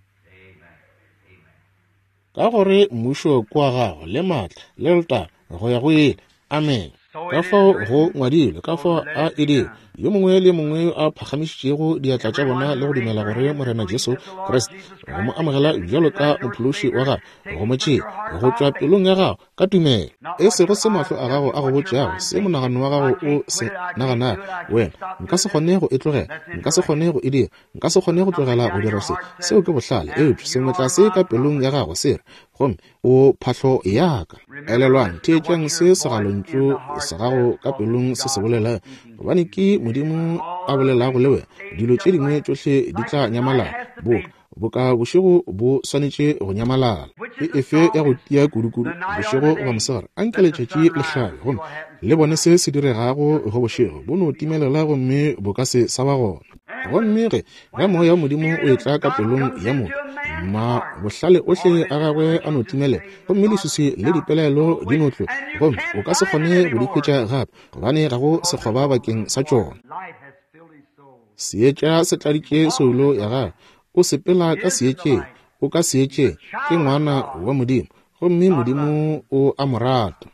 Ka gore mmušo ke wa gago le maatla le letago go ya go ile. Amen. Ka fao go ngwadilwe, ka fao a e dire. Yo mongwe le mongwe yo a phagamišitšego diatla tša bona le go dumela gore Morena Jesu Kriste, go mo amogela bjalo ka mophološi wa gago, go mo tšea go tšwa pelong ya gago ka tumelo, e sego se mahlo a gago a go botšago, se monagano wa gago o se naganago, wena, nka se kgone go e tlogela, nka se kgone go e dira, nka se kgone go tlogela go dira se. Seo ke bohlale, eupša sengwe tlase ka pelong ya gago se re, gomme o phahlo ya ka. Elelwang, theetšang se segalontšu sa gago ka pelong se se bolelago, gobane ke Modimo a bolelago le wena. Dilo tše dingwe tšohle di tla nyamalala, boka bošego bo swanetše go nyamalala. Ke efe ya go tia kudukudu, bošego goba mosegare? Anke letšatši le hlabe gomme le bone se se diregago go bošego, bo no timelela gomme bo ka se sa ba gona. Gomme ge moya wa Modimo o etla ka pelong ya motho, ma bohlale ohle a gagwe a no timelela, gomme leswiswi le dipelaelo di no tloga, gomme o ka se kgone go di hwetša gape, gobane ga go sekgoba bakeng sa tšona. Seetša se tladitše soulo ya gagwe, o sepela ka seetšeng, o ka seetšeng, ke ngwana wa Modimo, gomme Modimo o a mo rata.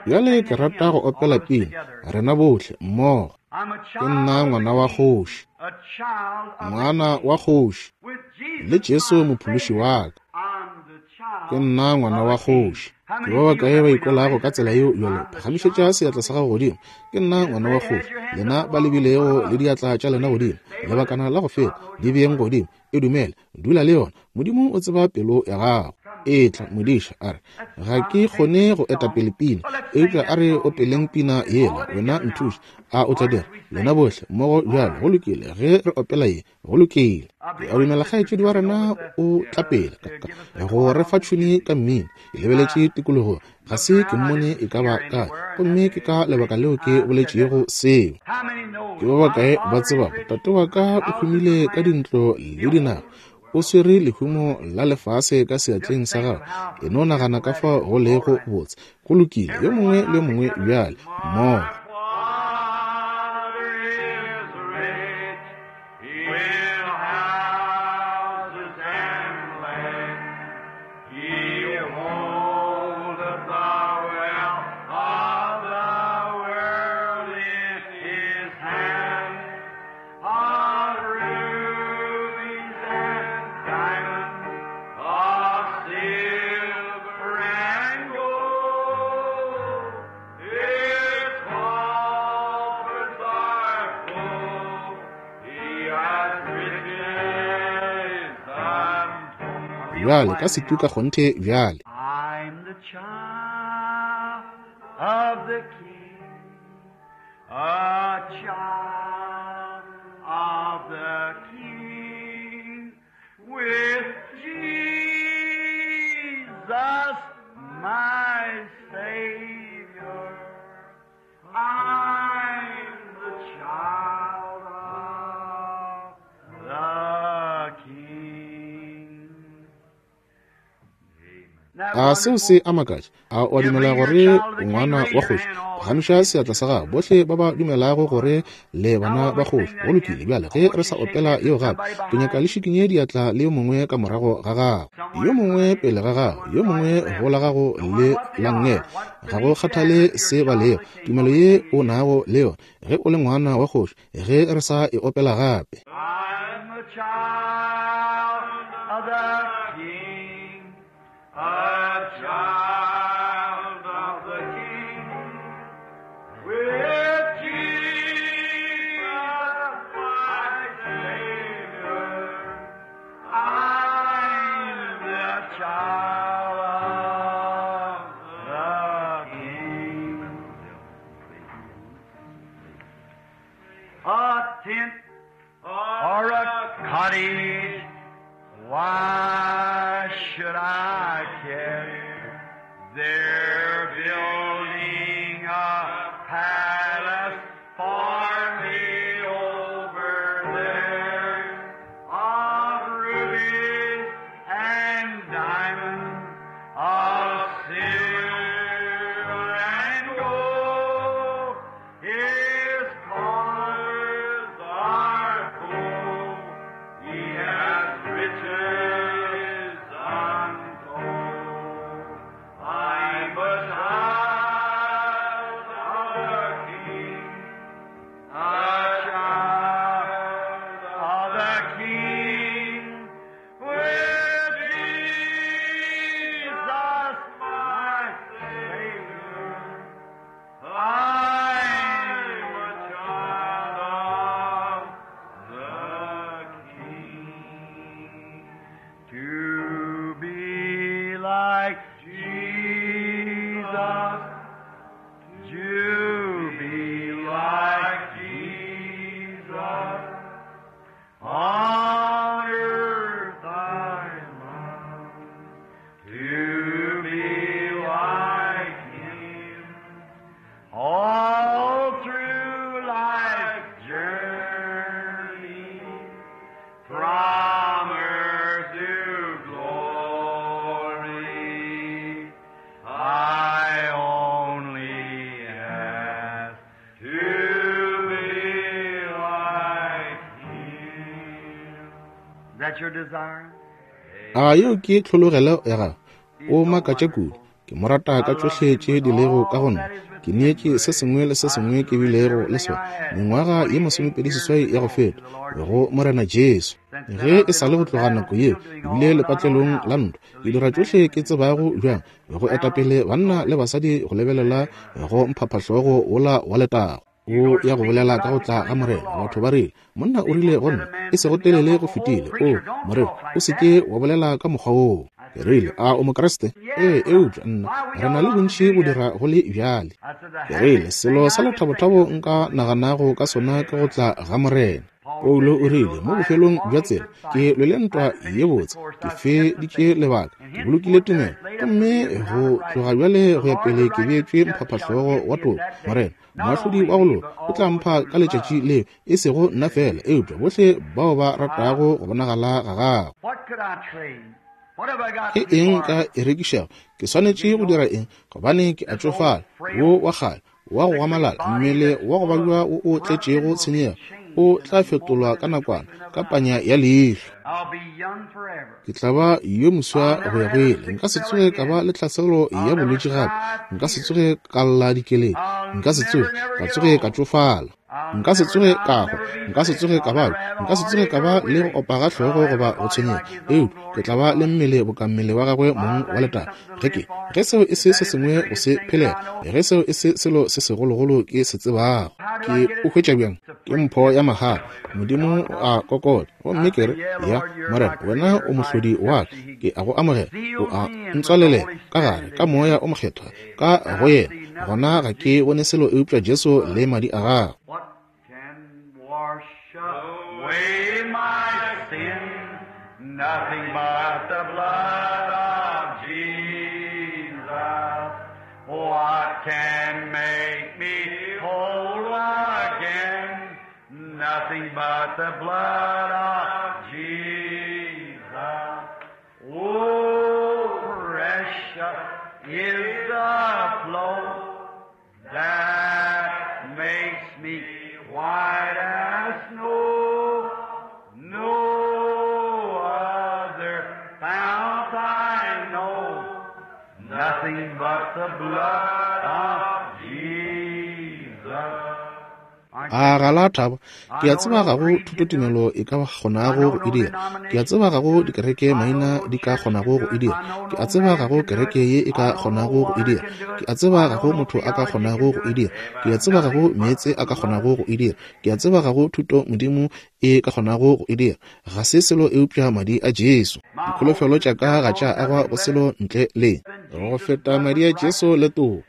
Bjale ke rata go opela pina, rena bohle mmogo. Ke nna ngwana wa kgoši, ngwana wa kgoši, le Jesu mophološi wa ka. Ke nna ngwana wa kgoši. Ke ba bakae ba ikwelago ka tsela yeo bjale? Phagamišetša seatla sa gago godimo. Ke nna ngwana wa kgoši. Lena ba lebilego le diatla tša lena godimo, lebakana la go feta, di beeng godimo. E dumele, dula le yona. Modimo o tseba pelo ya gago. Etla, modiša, a re, ga ke kgone go eta pele pina, eupša a re opeleng pina yela, wena nthuše. A o tla dira? Lena bohle mmogo bjalo. Go lokile, ge re opela ye. Go lokile. Ke a dumela kgaetšedi wa rena o tla pele go re fa tšhuni ka mmino. Ke lebeletše tikologong, ga se ke mmone e ka ba kae, gomme ke ka lebaka leo ke boletšego seo. Ke ba bakae ba tsebago tate wa ka o humile ka dintlo le dinaga, o swere lehumo la lefase ka seatleng sa gagwe? E no nagana ka fao go lego botse. Go lokile, yo mongwe le yo mongwe bjale mmogo. Bjale, ka setu ka kgonthe bjale. I'm the child of the King, a child of the King, with Jesus my Savior. I'm the child of the King. A seo se a makatša? A o a dumela gore o ngwana wa kgoši? Phagamiša seatla sa gago, bohle ba ba dumelago gore le bana ba kgoši. Go lokile, bjale ge re sa opela yeo gape, ke nyaka le šikinye diatla le yo mongwe ka morago ga gago, yo mongwe pele ga gago, yo mongwe go la gago le la nngele. Ga go kgathale se ba lego, tumelo ye o nago le yona ge o le ngwana wa kgoši, ge re sa e opela gape. I'm the child of the King, a child of the King, with Jesus my Savior. I'm the child of the King. A tent or a cottage, why should I care? They're building a palace for me over there of rubies and diamonds, of silver and gold. His colors are full. He has riches untold. I'm a child of the King, a child of the King, with Jesus my Savior. I'm a child of the King. To be like Jesus, to be like Jesus, on earth I long to be like Him. All through life's journey, from earth to glory, I only ask to be like Him. Is that your desire? A yeo ke tlhologelo ya gago? O makatša kudu. Ke mo rata ka tšohle tše di lego ka go nna. Ke neetše se sengwe le se sengwe ke bilego le sona mengwaga ye 28 ya go feta go Morena Jesu. Ge e sa le go tloga nako yeo, ke bile lepatlelong la ntwa, ke dira tšohle ke tsebago bjang go etapele banna le basadi go lebelela go mphaphahlogo wola wa letago. O ya go bolela ka go tla ga Morena. Batho ba rile, monna o rile go nna, e sego telele go fetile, o moreri, o se ke wa bolela ka mokgwa woo. Ke rile, a o Mokriste? Ee, eupša nna, re na le bontši go dira go le bjale. Ke rile, selo sa lethabothabo nka naganago ka sona ke go tla ga Morena. Paulo o rile, mo bofelong bja tsela, ke lwele ntwa ye botse, ke feditše lebaka, ke bolokile tumelo, gomme go tloga bjale go ya pele ke beetšwe mphaphahlogo wa toka. Morena, moahlodi wa go loka, o tla mpha ka letšatši leo, e sego nna fela, eupša bohle bao ba ratago go bonagala ga gagwe. What could I trade? What have I got Ke to eng ka barter? e rekišago? Ke swanetše go dira eng? Gobane ke a tšofala, wo wa kgale, wa go gamalala, mmele wa go babja wo o tletšego tshenyego, o tla fetolwa ka nakwana, ka panya ya leihlo. I'll be young forever. Ke tla ba yo moswa go ya go ile. Nka se tsoge ka ba le tlhaselo ya bolwetši gape. Nka se tsoge ka lla dikeledi. Nka se tsoge ka tsoge ka tšofala. Nka se tsoge ka hwa, nka se tsoge ka babja, nka se tsoge ka ba le go opa ga hlogo goba go tshwenyega, eupša ke tla ba le mmele boka mmele wa gagwe mong wa letago. Ge ke, ge seo e se se sengwe go se phelela, ge seo e se selo se segologolo ke se tsebago, ke o hwetša bjang? Ke mpho ya mahala. Modimo o a kokota, gomme ke re, Ya, Morena, wena o mohlodi wa ka, ke a go amogela. O a ntswalelela ka gare ka Moya o Mokgethwa ka go yena. Gona ga ke bone selo eupša Jesu le madi a gagwe. What can wash away my sin? Nothing but the blood of Jesus. What can make me whole again? Nothing but the blood of Jesus. Oh, precious is the flow that makes me white as snow. No other fount I know, nothing but the blood of Jesus. A ga la thaba? Ke a tseba ga go thutotumelo e ka kgonago go e dira. Ke a tseba ga go dikereke maina di ka kgonago go e dira. Ke a tseba ga go kereke ye e ka kgonago go e dira. Ke a tseba ga go motho a ka kgonago go e dira. Ke a tseba ga go meetse a ka kgonago go e dira. Ke a tseba ga go thuto Modimo e ka kgonago go e dira. Ga se selo eupša Madi a Jesu. Dikholofelo tša ka ga tša agwa go selo ntle le go feta Madi a Jesu le toka.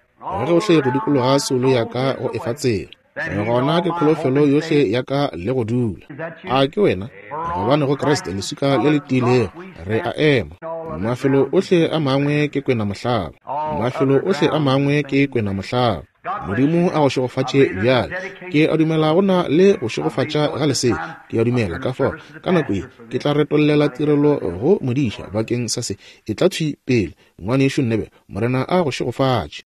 Gohle go dikologa soulo ya ka go efa tsela. Gona ke kholofelo yohle ya ka le go dula. A ke wena? Gobane go Kriste leswika le le tiilego re a ema. Mafelo ohle a mangwe ke kwena mohlaba. Mafelo ohle a mangwe ke kwena mohlaba. Modimo a go šegofatše bjale. Ke a dumela go na le go šegofatša ga lesea. Ke a dumela ka fao ka nako ye ke tla retollela tirelo go modiša bakeng sa se. Etla thwi pele, Ngwanešu Nebe. Morena a go šegofatše.